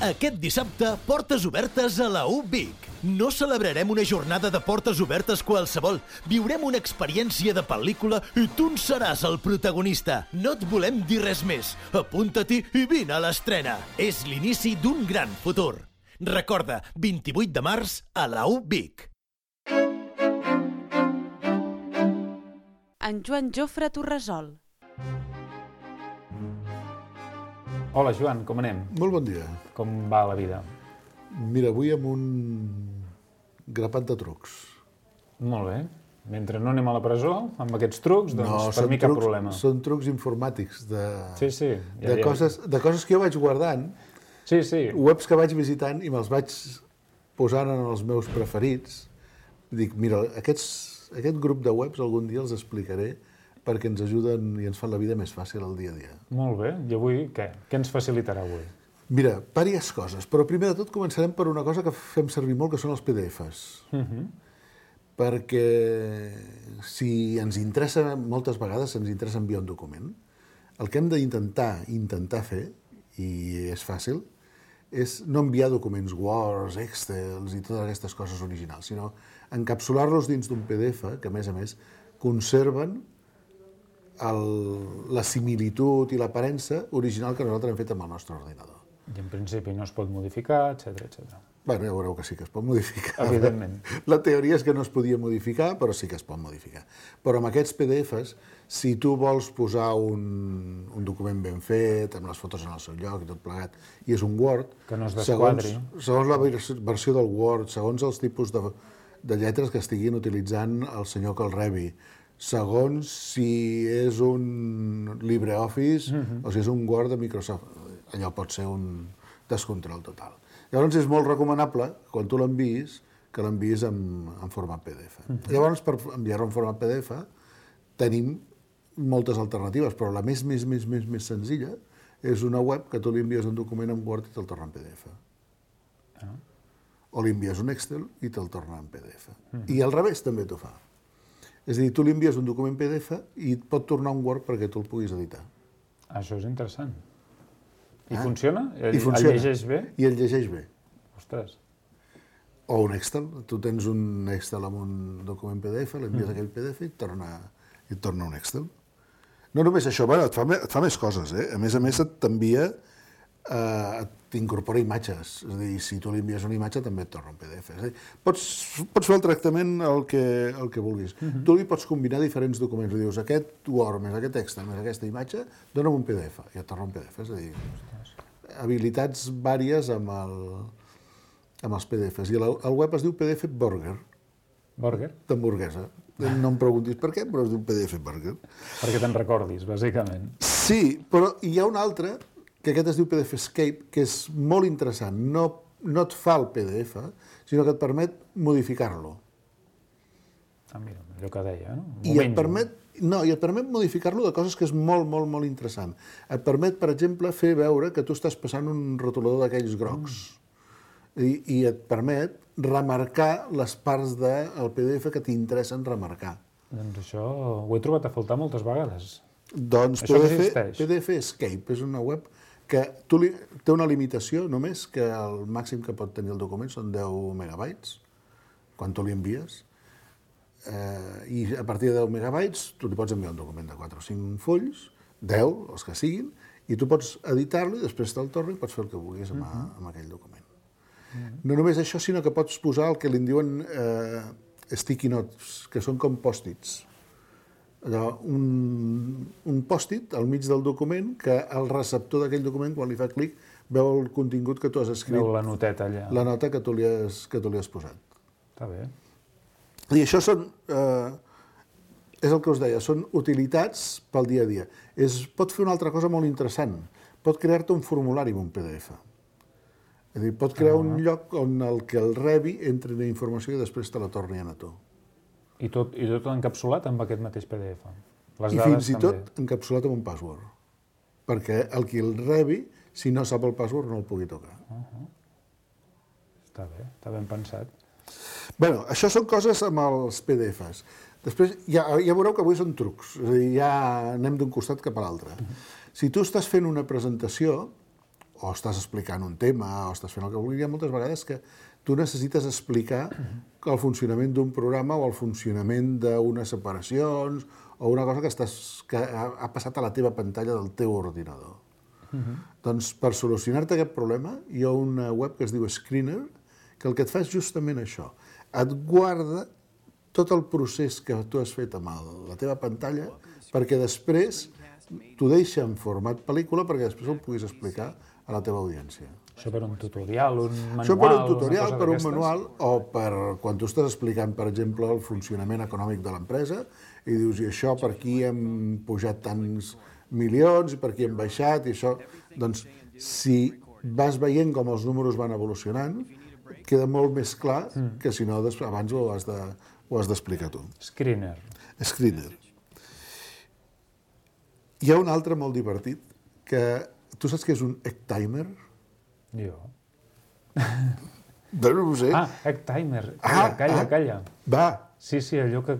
Aquest dissabte, portes obertes a la U Vic. No celebrarem una jornada de portes obertes qualsevol. Viurem una experiència de pel·lícula i tu en seràs el protagonista. No et volem dir res més. Apunta-t'hi i vine a l'estrena. És l'inici d'un gran futur. Recorda, vint-i-vuit de març a la U Vic. En Joan Jofre Torresol. Hola, Joan, com anem? Molt bon dia. Com va la vida? Mira, avui amb un grapat de trucs. Molt bé. Mentre no anem a la presó, amb aquests trucs, doncs no, per mi cap trucs, problema. Són trucs informàtics de, sí, sí. Ja, de, ja. Coses, de coses que jo vaig guardant, sí, sí. webs que vaig visitant i me'ls vaig posant en els meus preferits. Dic, mira, aquests, aquest grup de webs algun dia els explicaré perquè ens ajuden i ens fan la vida més fàcil el dia a dia. Molt bé. I avui què? Què ens facilitarà avui? Mira, diverses coses, però primer de tot començarem per una cosa que fem servir molt, que són els P D Efs. Uh-huh. Perquè si ens interessa, moltes vegades ens interessa enviar un document, el que hem d'intentar intentar fer, i és fàcil, és no enviar documents Word, Excel i totes aquestes coses originals, sinó encapsular-los dins d'un P D F que, a més a més, conserven el, la similitud i l'aparença original que nosaltres hem fet amb el nostre ordinador. I en principi no es pot modificar, etcètera, etcètera. Bueno, ja veureu que sí que es pot modificar. Evidentment. La teoria és que no es podia modificar, però sí que es pot modificar. Però amb aquests P D Efs, si tu vols posar un, un document ben fet, amb les fotos en el seu lloc i tot plegat, i és un Word... Que no es desquadri. Segons, segons la versió del Word, segons els tipus de, de lletres que estiguin utilitzant el senyor que el rebi, segons si és un LibreOffice uh-huh. o si és un Word de Microsoft. Allò pot ser un descontrol total. Llavors és molt recomanable, quan tu l'enviïs, que l'enviïs en, en format P D F. Uh-huh. Llavors, per enviar-lo en format P D F, tenim moltes alternatives, però la més, més, més, més, més senzilla és una web que tu li envies un document en Word i te'l torna en P D F. Uh-huh. O li envies un Excel i te'l torna en P D F. Uh-huh. I al revés també t'ho fa. És a dir, tu li envies un document P D F i et pot tornar un Word perquè tu el puguis editar. Això és interessant. I ah? funciona? El, I funciona. El llegeix bé? I el llegeix bé. Ostres. O un Excel. Tu tens un Excel amb un document P D F, l'envies mm. aquell P D F i et torna, i et torna un Excel. No només això, bueno, et, fa, et fa més coses. Eh? A més a més, et t'envia, eh, t'incorpora imatges. És a dir, si tu li envies una imatge, també et torna un P D F. És a dir, pots, pots fer el tractament el que, el que vulguis. Mm-hmm. Tu li pots combinar diferents documents. Li dius, aquest Word més aquest Excel més aquesta imatge, dona'm un P D F. I et torna un P D F. És a dir, habilitats vàries amb, el, amb els P D Fs. I el, el web es diu P D F Burger. Burger? D'hamburguesa. No em preguntis per què, però es diu P D F Burger. Perquè te'n recordis, bàsicament. Sí, però hi ha un altre, que aquest es diu P D F Escape, que és molt interessant. No, no et fa el P D F, sinó que et permet modificar-lo. Ah, mira, allò que deia, no? I et permet, no, i et permet modificar-lo de coses que és molt, molt, molt interessant. Et permet, per exemple, fer veure que tu estàs passant un rotulador d'aquells grocs. Mm. I, I et permet remarcar les parts del P D F que t'interessen remarcar. Doncs això ho he trobat a faltar moltes vegades. Doncs P D F, P D F Escape és una web que tu li, té una limitació només, que el màxim que pot tenir el document són deu megabytes, quan tu li envies. Eh, I a partir de deu megabytes tu li pots enviar un document de quatre o cinc fulls, deu, els que siguin, i tu pots editar-lo i després te'l torno i pots fer el que vulguis amb, uh-huh. amb aquell document. Uh-huh. No només això, sinó que pots posar el que li en diuen eh, sticky notes, que són com pòstits. Allò, un, un pòstit al mig del document que el receptor d'aquell document, quan li fa clic, veu el contingut que tu has escrit. Veu la noteta allà. La nota que tu li has, que tu li has posat. Està bé. I això són, eh, és el que us deia, són utilitats pel dia a dia. És, pot fer una altra cosa molt interessant. Pot crear-te un formulari amb un P D F. És a dir, pot crear ah. un lloc on el que el rebi entri la informació i després te la torni a tu. I tot, i tot encapsulat amb aquest mateix P D F. Les I dades fins i també. tot encapsulat amb un password. perquè el qui el rebi, si no sap el password, no el pugui tocar. Uh-huh. Està bé, està ben pensat. Bé, això són coses amb els P D Fs. Després, ja, ja veureu que avui són trucs, és a dir, ja anem d'un costat cap a l'altre. Uh-huh. Si tu estàs fent una presentació, o estàs explicant un tema, o estàs fent el que vulguis, hi ha moltes vegades que tu necessites explicar el funcionament d'un programa o el funcionament d'unes separacions o una cosa que, estàs, que ha, ha passat a la teva pantalla del teu ordinador. Uh-huh. Doncs per solucionar-te aquest problema hi ha una web que es diu Screener que el que et fa és justament això. Et guarda tot el procés que tu has fet amb el, la teva pantalla perquè després t'ho deixa en format pel·lícula perquè després el puguis explicar a la teva audiència. Això per un tutorial, un manual... Això per un tutorial, per un manual, o per quan tu estàs explicant, per exemple, el funcionament econòmic de l'empresa i dius, i això per aquí hem pujat tants milions i per aquí hem baixat i això... Doncs, si vas veient com els números van evolucionant, queda molt més clar que si no abans ho has de, ho has d'explicar tu. Screener. Screener. Hi ha un altre molt divertit que... Tu saps què és un egg timer? Jo. No, no ho sé. Ah, egg timer. Calla, ah, calla, ah, calla. Va. Sí, sí, allò que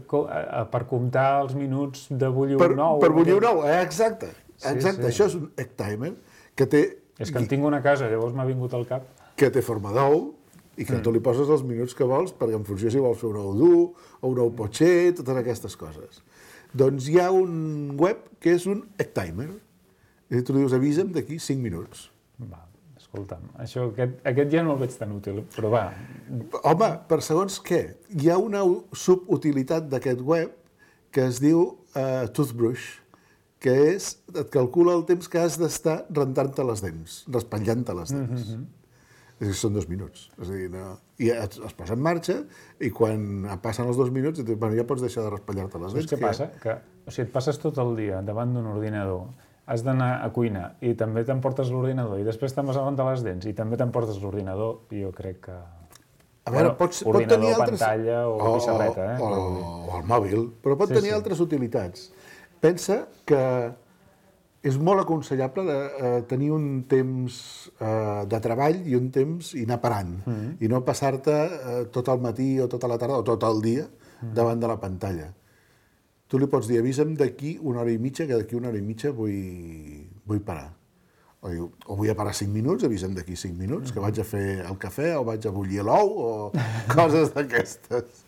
per comptar els minuts de bullir un ou. Per bullir un ou, eh, exacte. Exacte, sí, sí. Això és un egg timer que té... És que en tinc una casa, llavors m'ha vingut al cap. Que té forma d'ou i que mm. tu li poses els minuts que vols perquè en funció si vols fer un ou dur o un ou potxer, totes aquestes coses. Doncs hi ha un web que és un egg timer. I tu li dius, avisa'm d'aquí cinc minuts. Va, escolta'm, això, aquest, aquest ja no el veig tan útil, però va. Home, per segons què, hi ha una subutilitat d'aquest web que es diu uh, Toothbrush, que és, et calcula el temps que has d'estar rentant-te les dents, raspallant-te les dents. Mm-hmm. És a dir, són dos minuts. És a dir, no... I es, es posa en marxa i quan passen els dos minuts, et dius, bueno, ja pots deixar de raspallar-te les dents. Saps què passa? Que, o sigui, et passes tot el dia davant d'un ordinador, has d'anar a cuina i també t'emportes l'ordinador i després te'n vas a rentar les dents i també t'emportes l'ordinador i jo crec que... A veure, bueno, pots, ordinador, pot tenir altres... pantalla o, o bicicleta, eh? O, o el mòbil, però pot sí, tenir sí. altres utilitats. Pensa que és molt aconsellable de, uh, tenir un temps uh, de treball i un temps i anar parant, mm-hmm. i no passar-te uh, tot el matí o tota la tarda o tot el dia mm-hmm. davant de la pantalla. Tu li pots dir, avisa'm d'aquí una hora i mitja, que d'aquí una hora i mitja vull, vull parar. O, diu, o vull a parar cinc minuts, avisa'm d'aquí cinc minuts, que vaig a fer el cafè, o vaig a bullir l'ou, o coses d'aquestes.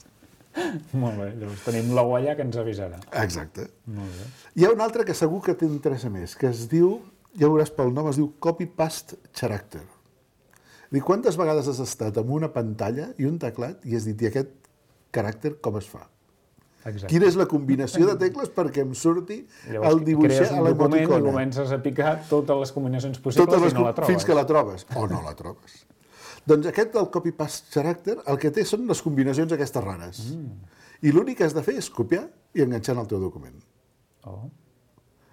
Molt bé, llavors tenim l'ou allà que ens avisarà. Exacte. Molt bé. Hi ha un altre que segur que t'interessa més, que es diu, ja veuràs pel nom, es diu Copy-Paste Character. Dic, quantes vegades has estat amb una pantalla i un teclat i has dit, i aquest caràcter com es fa? Exacte. Quina és la combinació de tecles perquè em surti llavors, el dibuixar a l'emoticona. Crees un document i comences a picar totes les combinacions possibles les, i no la trobes. Fins que la trobes, o no la trobes. Doncs aquest del copy-paste character el que té són les combinacions aquestes rares. Mm. I l'únic que has de fer és copiar i enganxar en el teu document. Oh.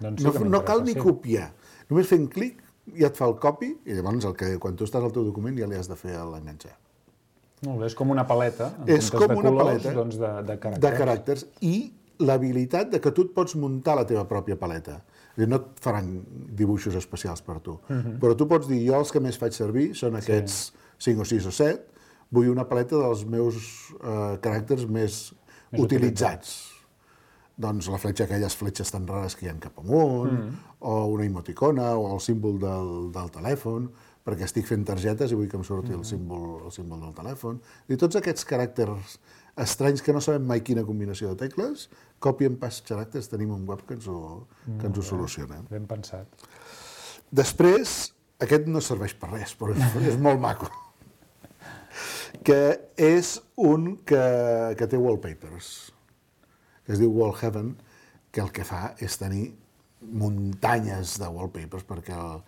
Doncs sí no, no cal ni sí. copiar. Només fent clic ja et fa el copy i llavors el que, quan tu estàs al teu document ja li has de fer l'enganxar. Molt bé, és com una paleta, en és com de una colors, paleta doncs de, de caràcters. De caràcters i l'habilitat de que tu et pots muntar la teva pròpia paleta. No et faran dibuixos especials per tu, uh-huh. però tu pots dir, jo els que més faig servir són aquests sí. cinc o sis o set, vull una paleta dels meus eh, caràcters més, més utilitzats. utilitzats. Doncs la fletxa, aquelles fletxes tan rares que hi ha cap amunt, uh-huh. o una emoticona, o el símbol del, del telèfon, perquè estic fent targetes i vull que em surti el símbol, el símbol del telèfon. I tots aquests caràcters estranys que no sabem mai quina combinació de tecles, copy and paste characters, tenim un web que ens ho, que ens ho soluciona. Ben pensat. Després, aquest no serveix per res, però és, és molt maco, que és un que, que té wallpapers, que es diu Wallheaven, que el que fa és tenir muntanyes de wallpapers perquè el,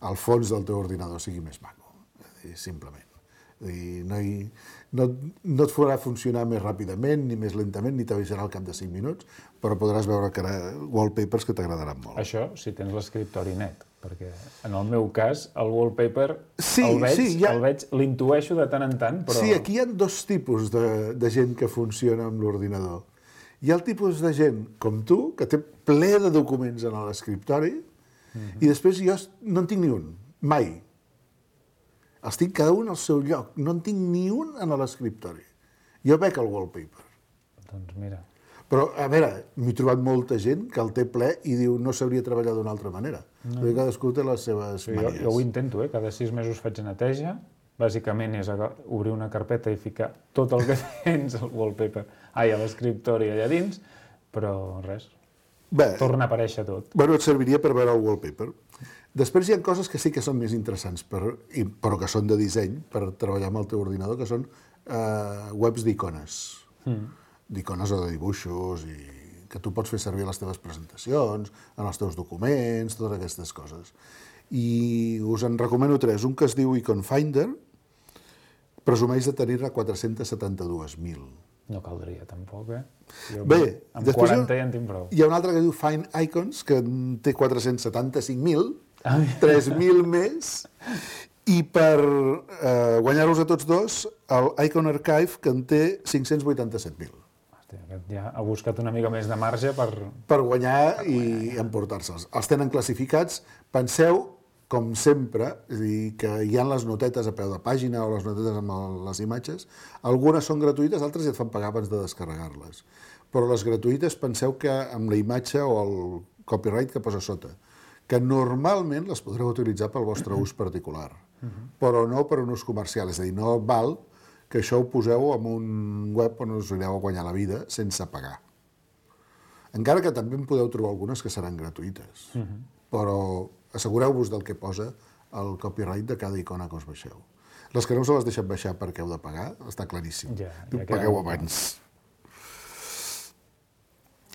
el fons del teu ordinador sigui més maco, simplement. No, hi, no, no et farà funcionar més ràpidament, ni més lentament, ni t'avisarà al cap de cinc minuts, però podràs veure que wallpapers que t'agradaran molt. Això si tens l'escriptori net, perquè en el meu cas el wallpaper sí, el veig, sí, ha... el veig, l'intueixo de tant en tant, però... Sí, aquí hi ha dos tipus de, de gent que funciona amb l'ordinador. Hi ha el tipus de gent com tu, que té ple de documents en l'escriptori, I després jo no en tinc ni un, mai. Els tinc cada un al seu lloc. No en tinc ni un en l'escriptori. Jo veig el wallpaper. Doncs mira. Però, a veure, m'he trobat molta gent que el té ple i diu no sabria treballar d'una altra manera. No. Perquè cadascú té les seves Sí, manies. jo, jo ho intento, eh? Cada sis mesos faig neteja. Bàsicament és aga- obrir una carpeta i ficar tot el que tens al wallpaper, ai, a l'escriptori allà dins, però res, Bé, torna a aparèixer tot. bueno, et serviria per veure el wallpaper. Després hi ha coses que sí que són més interessants, per, i, però que són de disseny, per treballar amb el teu ordinador, que són eh, webs d'icones. Mm. D'icones o de dibuixos, i que tu pots fer servir a les teves presentacions, en els teus documents, totes aquestes coses. I us en recomano tres. Un que es diu Icon Finder, presumeix de tenir-ne quatre-cents setanta-dos mil. No caldria, tampoc, eh? Jo Bé, amb després quaranta ja en tinc prou. Hi ha un altre que es diu Find Icons, que en té quatre-cents setanta-cinc mil, Ah, tres mil més, i per eh, guanyar-los a tots dos, el Icon Archive, que en té cinc-cents vuitanta-set mil. Hòstia, aquest ja ha buscat una mica més de marge per... Per guanyar i emportar-se'ls. Els tenen classificats. Penseu, com sempre, és a dir, que hi ha les notetes a peu de pàgina o les notetes amb el, les imatges. Algunes són gratuïtes, altres ja et fan pagar abans de descarregar-les. Però les gratuïtes, penseu que amb la imatge o el copyright que posa sota, que normalment les podreu utilitzar pel vostre ús particular, però no per un ús comercial. És a dir, no val que això ho poseu en un web on us anireu a guanyar la vida sense pagar. Encara que també en podeu trobar algunes que seran gratuïtes, però assegureu-vos del que posa el copyright de cada icona que us baixeu. Les que no se les deixen baixar perquè heu de pagar, està claríssim. Ja, ja Pagueu queda- abans.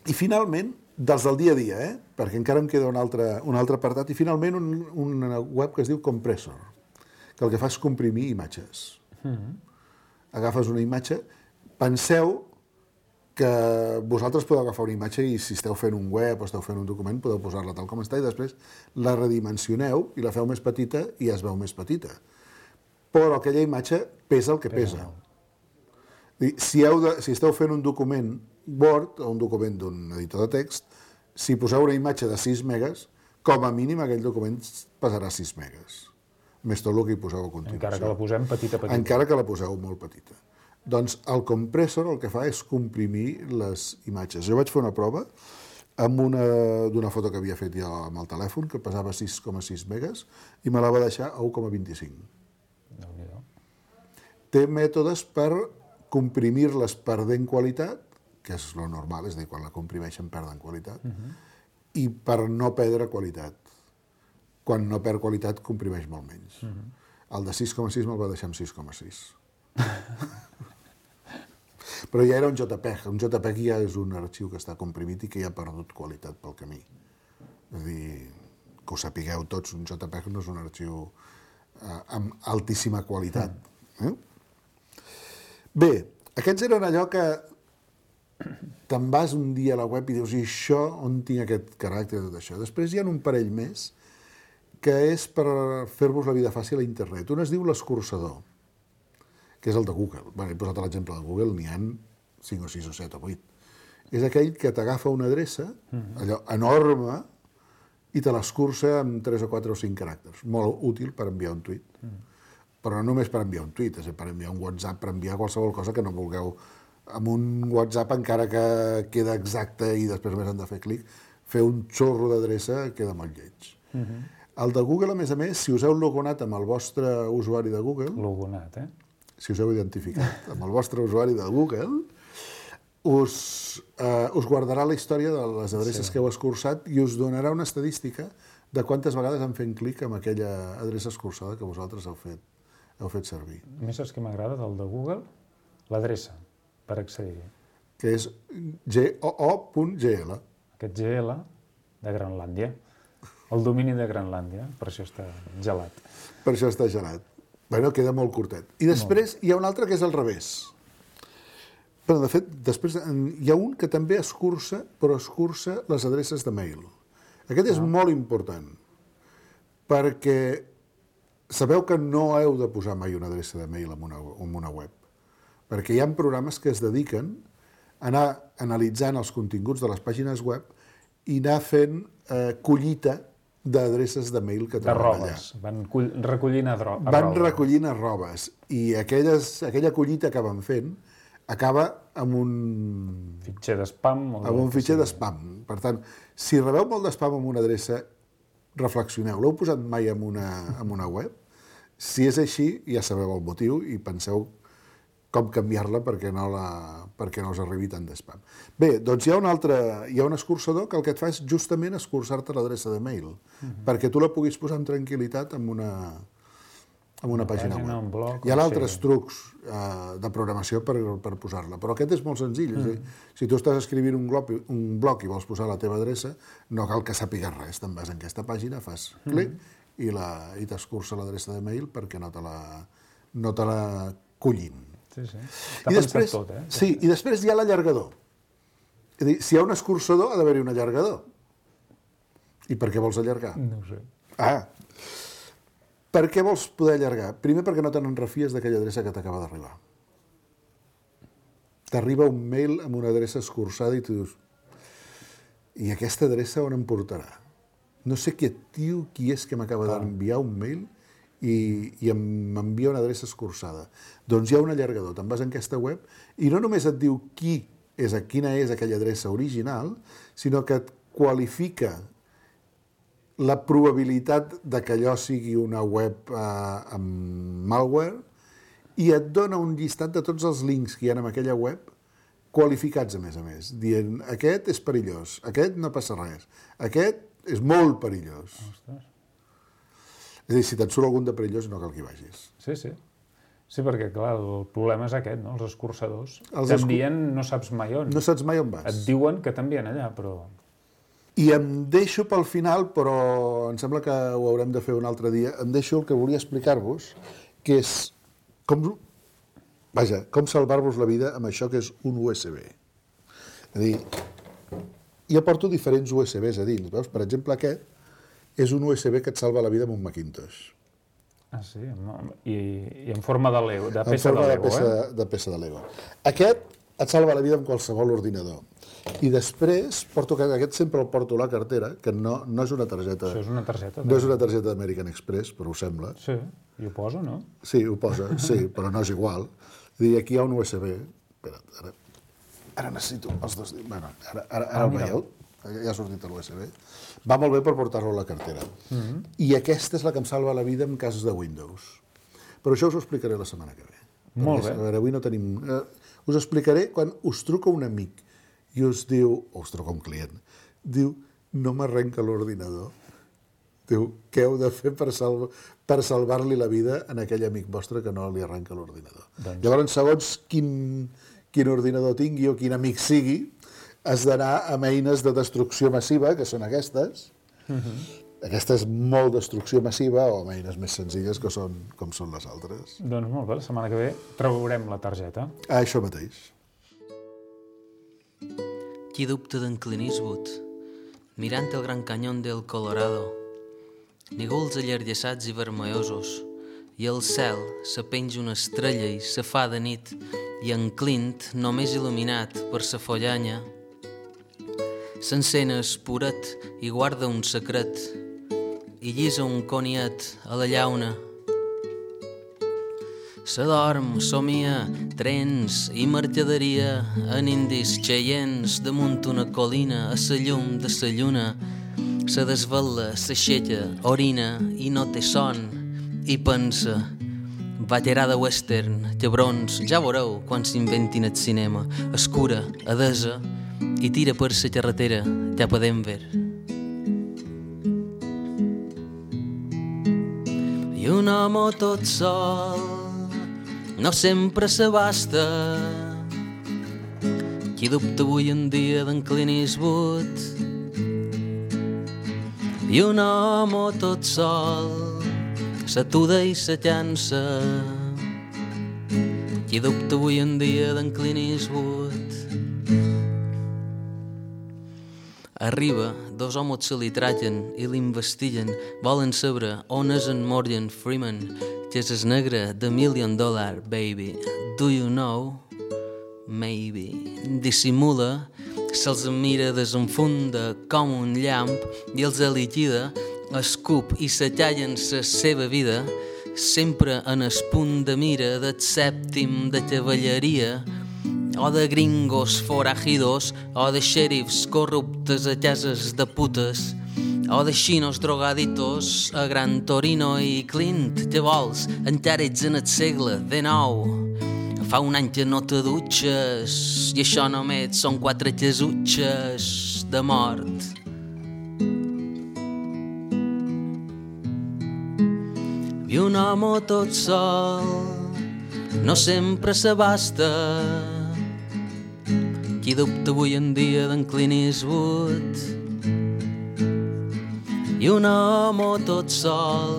I finalment, dels del dia a dia, eh? Perquè encara em queda un altre, un altre apartat, i finalment un, una web que es diu Compressor, que el que fa és comprimir imatges. Agafes una imatge, penseu que vosaltres podeu agafar una imatge i si esteu fent un web o esteu fent un document podeu posar-la tal com està i després la redimensioneu i la feu més petita i es veu més petita. Però aquella imatge pesa el que pesa. Si, heu de, si esteu fent un document Word o un document d'un editor de text, si poseu una imatge de sis megas, com a mínim aquell document pesarà sis megas. Més tot el que hi poseu a continuació. Encara que la posem petita, petita. Encara que la poseu molt petita. Doncs el compressor el que fa és comprimir les imatges. Jo vaig fer una prova amb una d'una foto que havia fet jo amb el telèfon, que pesava sis coma sis megas, i me la va deixar a u coma vint-i-cinc. Déu-n'hi-do. Té mètodes per comprimir-les perdent qualitat, que és lo normal, és a dir, quan la comprimeixen perden qualitat, i per no perdre qualitat. Quan no perd qualitat, comprimeix molt menys. El de sis coma sis me'l va deixar amb sis coma sis. Però ja era un JPEG. Un JPEG ja és un arxiu que està comprimit i que ja ha perdut qualitat pel camí. És a dir, que ho sapigueu tots, un JPEG no és un arxiu eh, amb altíssima qualitat. Eh? Bé, aquests eren allò que te'n vas un dia a la web i dius, i això, on tinc aquest caràcter de tot això? Després hi ha un parell més que és per fer-vos la vida fàcil a internet. Un es diu l'escurçador, que és el de Google. Bé, he posat l'exemple de Google, n'hi ha cinc o sis o set o vuit. És aquell que t'agafa una adreça, allò enorme, i te l'escurça amb tres o quatre o cinc caràcters. Molt útil per enviar un tuit. Però no només per enviar un tuit, és per enviar un WhatsApp, per enviar qualsevol cosa que no vulgueu. Amb un WhatsApp, encara que queda exacte i després només han de fer clic, fer un xorro d'adreça queda molt lleig. El de Google, a més a més, si us heu logonat amb el vostre usuari de Google... Logonat, eh? Si us heu identificat amb el vostre usuari de Google, us, eh, us guardarà la història de les adreces sí. que heu escurçat i us donarà una estadística de quantes vegades han fet clic amb aquella adreça escurçada que vosaltres heu fet, heu fet servir. A més, saps què m'agrada del de Google? L'adreça per accedir-hi. Que és G O O punt G L. Aquest G L de Grenlàndia. El domini de Grenlàndia, per això està gelat. Per això està gelat. Bueno, queda molt curtet. I després molt. Hi ha un altre que és al revés. Però, de fet, després hi ha un que també escurça, però escurça les adreces de mail. Aquest és ah. molt important, perquè sabeu que no heu de posar mai una adreça de mail en una, en una web, perquè hi ha programes que es dediquen a anar analitzant els continguts de les pàgines web i anar fent eh, collita d'adreces de mail que de troben allà. robes. Van cull- recollint a, dro- a Van roba. recollint a robes. I aquelles, aquella collita que van fent acaba amb un... Fitxer d'espam. o amb un del que fitxer sigui. d'espam. Per tant, si rebeu molt d'espam amb una adreça, reflexioneu. L'heu posat mai en una, en una web? Si és així, ja sabeu el motiu i penseu com canviar-la perquè no, la, perquè no us arribi tant d'espam. Bé, doncs hi ha un altre, hi ha un escurçador que el que et fa és justament escurçar-te l'adreça de mail, uh-huh. perquè tu la puguis posar amb tranquil·litat en una, en una, una pàgina, pàgina web. Blog, hi ha altres sí. trucs uh, de programació per, per posar-la, però aquest és molt senzill. Uh-huh. És a dir, si tu estàs escrivint un blog, un blog i vols posar la teva adreça, no cal que sàpigues res. Te'n vas en aquesta pàgina, fas clic uh-huh. i, la, i t'escurça l'adreça de mail perquè no te la, no te la collin. Sí, sí. Està I després, tot, eh? Sí, i després hi ha l'allargador. És a dir, si hi ha un escurçador, ha d'haver-hi un allargador. I per què vols allargar? No ho sé. Ah, per què vols poder allargar? Primer perquè no te n'enrefies d'aquella adreça que t'acaba d'arribar. T'arriba un mail amb una adreça escurçada i tu dius, i aquesta adreça on em portarà? No sé què tio, qui és que m'acaba d'enviar un mail i, i m'envia una adreça escurçada. Doncs hi ha un allargador, te'n vas en aquesta web i no només et diu qui és, quina és aquella adreça original, sinó que et qualifica la probabilitat de que allò sigui una web eh, amb malware i et dona un llistat de tots els links que hi ha en aquella web qualificats, a més a més, dient aquest és perillós, aquest no passa res, aquest és molt perillós. Ostres. És a dir, si te'n surt algun de perillós, no cal que hi vagis. Sí, sí. Sí, perquè, clar, el problema és aquest, no? Els escurçadors. Els T'envien, no saps mai on. No saps mai on vas. Et diuen que t'envien allà, però... I em deixo pel final, però em sembla que ho haurem de fer un altre dia, em deixo el que volia explicar-vos, que és com, vaja, com salvar-vos la vida amb això que és un U S B. És a dir, jo porto diferents U S Bs a dins, veus? Per exemple, aquest és un U S B que et salva la vida amb un Macintosh. Ah, sí? I, i en forma de Lego, de peça de Lego, de peça, eh? De peça de Lego. Aquest et salva la vida amb qualsevol ordinador. I després, porto, aquest sempre el porto a la cartera, que no, no és una targeta... Això és una targeta. No és una targeta d'American Express, però ho sembla. Sí, i ho posa, no? Sí, ho posa, sí, però no és igual. És dir, aquí hi ha un U S B. Espera't, ara, ara necessito els dos... Bueno, ara, ara, ara Ah, el veieu? Ja ha sortit l'U S B. Va molt bé per portar-lo a la cartera. Mm-hmm. I aquesta és la que em salva la vida en casos de Windows. Però això us ho explicaré la setmana que ve. Molt Perquè, bé. A veure, avui no tenim... Eh, us explicaré quan us truca un amic i us diu, o us truca un client, diu, no m'arrenca l'ordinador. Diu, què heu de fer per, salva, per salvar-li la vida a aquell amic vostre que no li arrenca l'ordinador? Doncs... Llavors, segons quin, quin ordinador tingui o quin amic sigui, has d'anar amb eines de destrucció massiva, que són aquestes. Uh-huh. Aquesta és molt destrucció massiva, o amb eines més senzilles, que són com són les altres. Doncs molt bé, la setmana que ve traurem la targeta. Ah, això mateix. Qui dubta d'en Clint Eastwood, mirant el gran canyón del Colorado, nígols allargassats i vermellosos, i al cel se penja una estrella i se fa de nit, i en Clint, només il·luminat per sa follanya, s'encén espuret i guarda un secret i llisa un coniet a la llauna. S'adorm, somia, trens i mercaderia en indis xeients damunt una colina a sa llum de sa lluna. Se desvela, s'aixeca, orina i no té son i pensa: ballarà de western, cabrons, ja veureu quan s'inventin el cinema. Escura, adesa, i tira per la carretera cap a Denver. I un home tot sol no sempre s'abasta. Qui dubta avui en dia d'en Clint Eastwood? I un home tot sol s'atuda i se llança. Qui dubta avui en dia d'en Clint Eastwood? Arriba, dos homes se li trallen i l'investiguen. Volen saber on és en Morgan Freeman, que és el negre de Million Dollar Baby. Do you know? Maybe. Dissimula, se'ls mira, desenfunda com un llamp i els liquida escup i s'atallen la seva vida, sempre en el punt de mira del sèptim de cavalleria, o de gringos forajidos, o de xèrifs corruptes a cases de putes, o de xinos drogaditos a Gran Torino i Clint. Què vols? Encara ets en el segle dinou. Fa un any que no te dutxes i això només són quatre casutxes de mort. I un home tot sol no sempre s'abasta. Qui dubta avui en dia d'en Clint Eastwood? I un home tot sol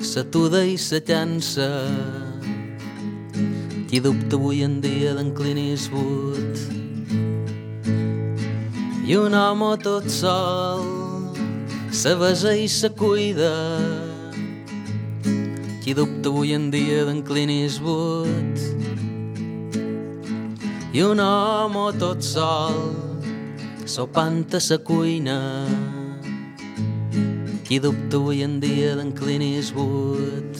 s'atuda i se llança. Qui dubta avui en dia d'en Clint Eastwood? I un home tot sol se besa i se cuida. Qui dubta avui en dia d'en Clint Eastwood? I un home tot sol sopant a sa cuina. Qui dubta avui en dia d'en Clint Eastwood?